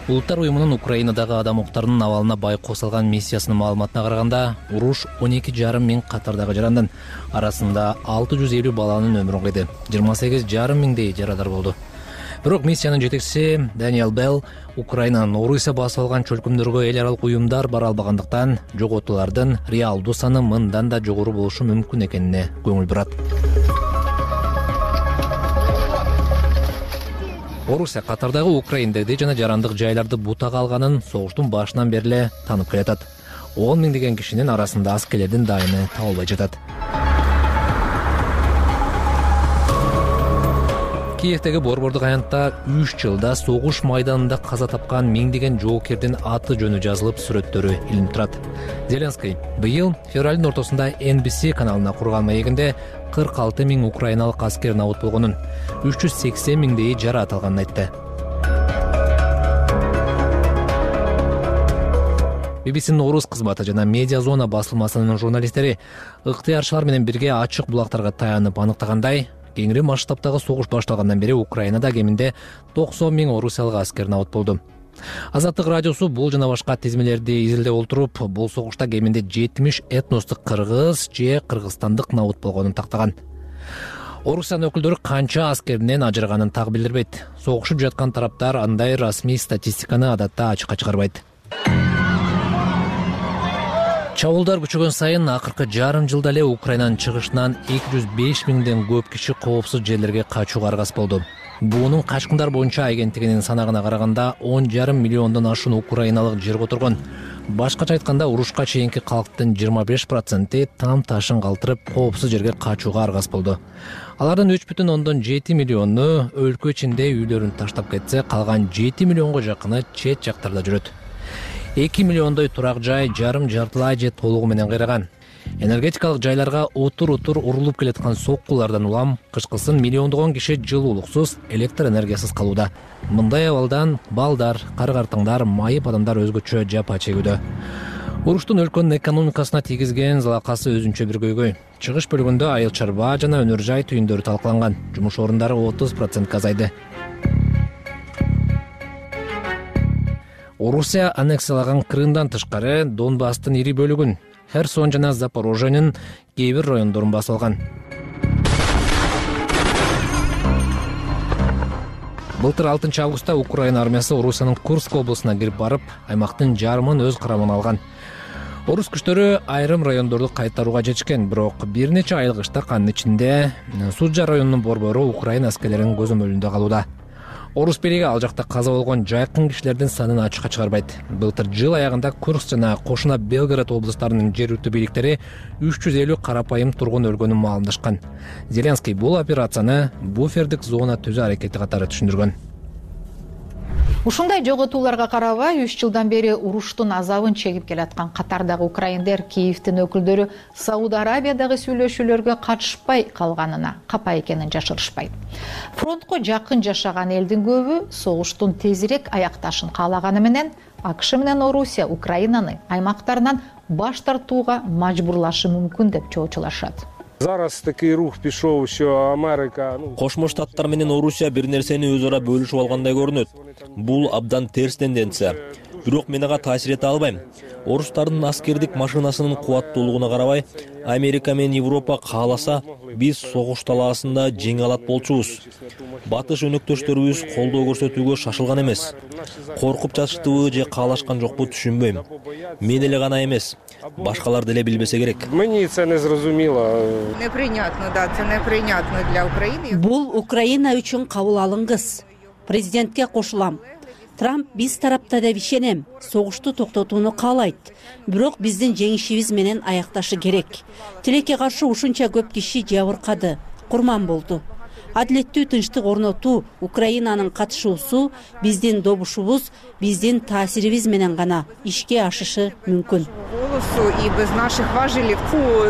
Улуттар уюмунун Украинадагы адам укуктарынын абалына бай косулган миссиясынын маалыматына караганда, уруш 12,5 миң катардагы жарандын арасында 650 баланын өмүрүн кыйды. 28,5 миңдей жарадар болду. Бирок миссиянын жетекчиси Даниэл Белл Украинанын Орусия басып алган чөлкөмдөргө эл аралык уюмдар бара албагандыктан жоготуулардын реалдуу саны мындан да жогору болушу мүмкүн экенине көңүл бурат. Орусия катардагы украиндерди жана жарандык жайларды бутага алганын согуштун башынан бери эле таанып келатат. 10 миңдеген кишинин арасында аскерлердин дайыны табылбай жатат. Киевдеги борбордук аянтта 3 жылда согуш майданында каза тапкан миңдеген жоокердин аты жөнү жазылып, сүрөттөрү илинип турат. Зеленский быйыл февралдын ортосунда NBC каналына курган маегинде 46 000 украиналык аскер набут болгонун, 380 000 жараат алганын айтты. BBC'нин орус кызматы жана Медиа Зона басылмасынын журналисттери ыктыярчылар менен бирге ачык булактарга таянып аныктагандай, кеңири масштабтагы согуш башталгандан бери Украинада кеминде 90 000 орусиялык аскер набут болду. Азаттык радиосу бул жана башка тизмелерди изилдеп отуруп, бул согушта кеминде 70 этностук кыргыз же кыргызстандык набут болгонун тактаган. Орусиянын өкүлдөрү канча аскеринен ажыраганын так билдирбейт. Согушуп жаткан тараптар андай расмий статистиканы адатта ачыкка чыгарбайт. Чабуулдар күчөгөн сайын акыркы жарым жылда эле Украинанын чыгышынан 205 000ден көп киши коопсуз жерлерге качууга аргас болду. Буунун качкындар боюнча агенттигинин санагына караганда 10,5 миллиондон ашуун украиналык жерге отургон. Башкача айтканда, урушка чейинки калктын 25% там ташын калтырып коопсуз жерге качууга аргас болду. Алардын 3,7 миллиону өлкө ичинде үйлөрүн таштап кетсе, калган 7 миллионго жакыны чет жактарда жүрөт. 2 миллиондой турак жай жарым-жартылай же толугу менен кыйраган. Энергетикалык жайларга отур-отур урулуп келаткан соккулардан улам кышкысын миллиондогон киши жылуулуксуз, электр энергиясыз калууда. Мындай абалдан балдар, кары-картаңдар, майып адамдар өзгөчө жапа чегүүдө. Уруштун өлкөнүн экономикасына тийгизген залакасы өзүнчө бир көйгөй. Чыгыш бөлүгүндө айыл чарба жана өнөр жай түйүндөрү талкаланган. Жумуш орундары 30% азайды. Орусия аннексиялаган Крымдан тышкары Донбасстын ири бөлүгүн, Херсон жана Запорожьенин кээ бир райондорун басып алган. Былтыр 6 августта Украина армиясы Орусиянын Курск облусуна кирип барып, аймактын жарымын өз карамына алган. Орус күчтөрү айрым райондорду кайтарууга жетишкен, бирок бир нече айыл кыштак анын ичинде Суджа районунун борбору Украина аскерлеринин көзөмөлүндө калууда. Орус бийлиги ал жакта каза болгон жайкын кишилердин санын ачыкка чыгарбайт. Былтыр жыл аягында Курск жана кошуна Белгород облустарынын жергиликтүү бийликтери 350 карапайым тургун өлгөнүн маалымдашкан. Зеленский бул операцияны буфердик зона түзүү аракети катары түшүндүргөн. Ушундай жоготууларга карабай 3 жылдан бери уруштун азабын чегип келаткан катардагы украиндер Киевдин өкүлдөрү Сауд Арабиядагы сүйлөшүүлөргө катышпай калганына капа экенин жашырышпайт. Фронтко жакын жашаган элдин көбү согуштун тезирээк аякташын каалаганы менен АКШ менен Орусия Украинаны аймактарынан баш тартууга мажбурлашы мүмкүн деп чоочулашат. Зараз такий рух пішов, що Америка... Кошмо Штаттар менен Орусия бир нерсени өз ара бөлүшүп алгандай көрүнөт. Бул абдан терс тенденция. Бирок мен ага таасир эте албайм. Орустардын аскердик машинасынын кубаттуулугуна карабай, Америка менен Европа кааласа, биз согуш талаасында жеңе алат болчубуз. Батыш өнөктөштөрүбүз колдоо көрсөтүүгө шашылган эмес. Коркуп жатыштыбы же каалашкан жокпу түшүнбөйм. Мен эле гана эмес, башкалар деле билбесе керек. Мени це не зрозуміло. Неприйнятно, да, це неприйнятно для України. Бул Украина үчүн кабыл алынгыс. Президентке кошулам. Трамп биз тарапта деп ишенем, согушту токтотууну каалайт. Бирок биздин жеңишибиз менен аякташы керек. Тилекке каршы ушунча көп киши жабыркады, курман болду. Адилеттүү тынчтык орнотуу, Украинанын катышуусу биздин добушубуз, биздин таасирибиз менен гана ишке ашышы мүмкүн. І без наших важелів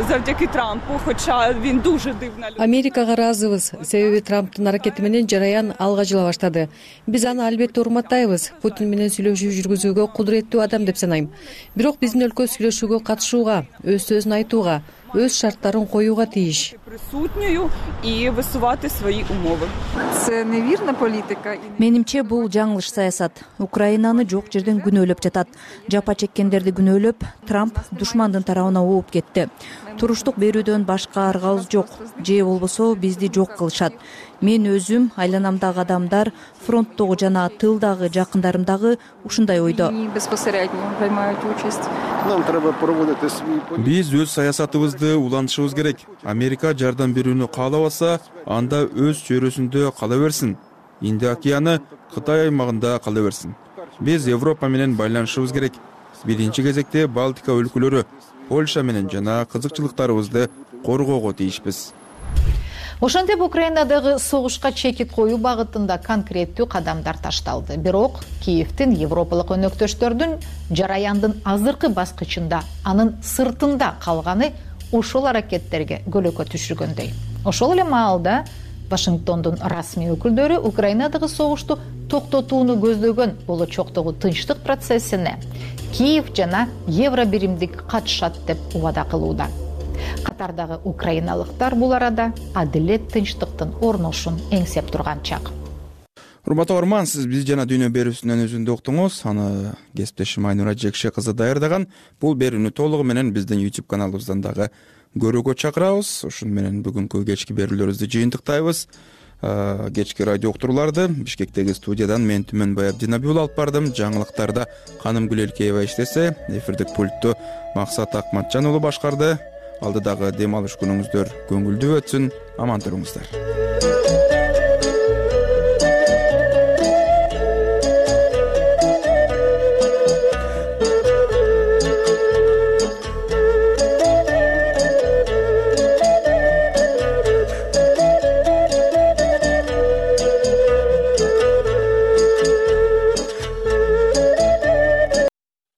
завдяки Трампу, хоча він дуже дивна людина. Америкага ыраазыбыз, себеби Трамптын аракети менен жараян алга жыла баштады. Биз аны албетте урматтайбыз. Путин менен сүйлөшүү жүргүзүүгө кудуреттүү адам деп санайм. Бирок биздин өлкө сүйлөшүүгө катышууга, өз сөзүн айтууга, өз шарттарын коюуга тийиш. Присутньою і висувати свої умови. Це невірна політика. Менимче бул жаңылыш саясат. Украинаны жок жерден күнөөлөп жатат. Жапа чеккендерди күнөөлөп, Трамп душмандын тарабына ооп кетти. Туруштук берүүдөн башка аргабыз жок. Же болбосо бизди жок кылышат. Мен өзүм, айланамдагы адамдар, фронттогу жана тылдагы жакындарымдагы ушундай ойдо. Биз өз саясатыбызды улантышыбыз керек. Америка жардам берүүнү каалабаса, анда өз чөйрөсүндө кала берсин. Инди океаны Кытай аймагында кала берсин. Биз Европа менен байланышыбыз керек. Биринчи кезекте Балтика өлкөлөрү, Польша менен жана кызыкчылыктарыбызды коргоого тийишпиз. Ошентип Украинадагы согушка чекит коюу багытында конкреттүү кадамдар ташталды. Бирок Киевдин европалык өнөктөштөрдүн жараяндын азыркы баскычында, анын сыртында калганы ошол аракеттерге көлөкө түшүргөндөй. Ошол эле маалда Вашингтондун расмий өкүлдөрү Украинадагы согушту токтотууну көздөгөн болочоктогу тынчтык процессине Киев жана Евробиримдик катышат деп убада кылууда. Катардагы украиналыктар бул арада адилет, тынчтыктын орношун эңсеп турган чак. Урматтуу көрөрман, сиз биз жана дүйнө берүүсүнүн өзүндө уктуңуз. Аны кесиптешим Айнура Жекше кызы даярдаган. Бул берүүнү толугу менен биздин YouTube каналыбыздан дагы көрүүгө чакырабыз. Ошону менен бүгүнкү кечки берүүлөрүбүздү жыйынтыктайбыз. Кечки радио уктурууларды Бишкектеги студиядан мен Түмөнбай Абдинабиул алып бардым. Жаңылыктарда Каным Гүлелкеева иштесе, эфирдик пультту Максат Акматжан уулу башкарды. Алдыдагы дем алыш күнүңүздөр көңүлдүү өтсүн. Аман туруңуздар.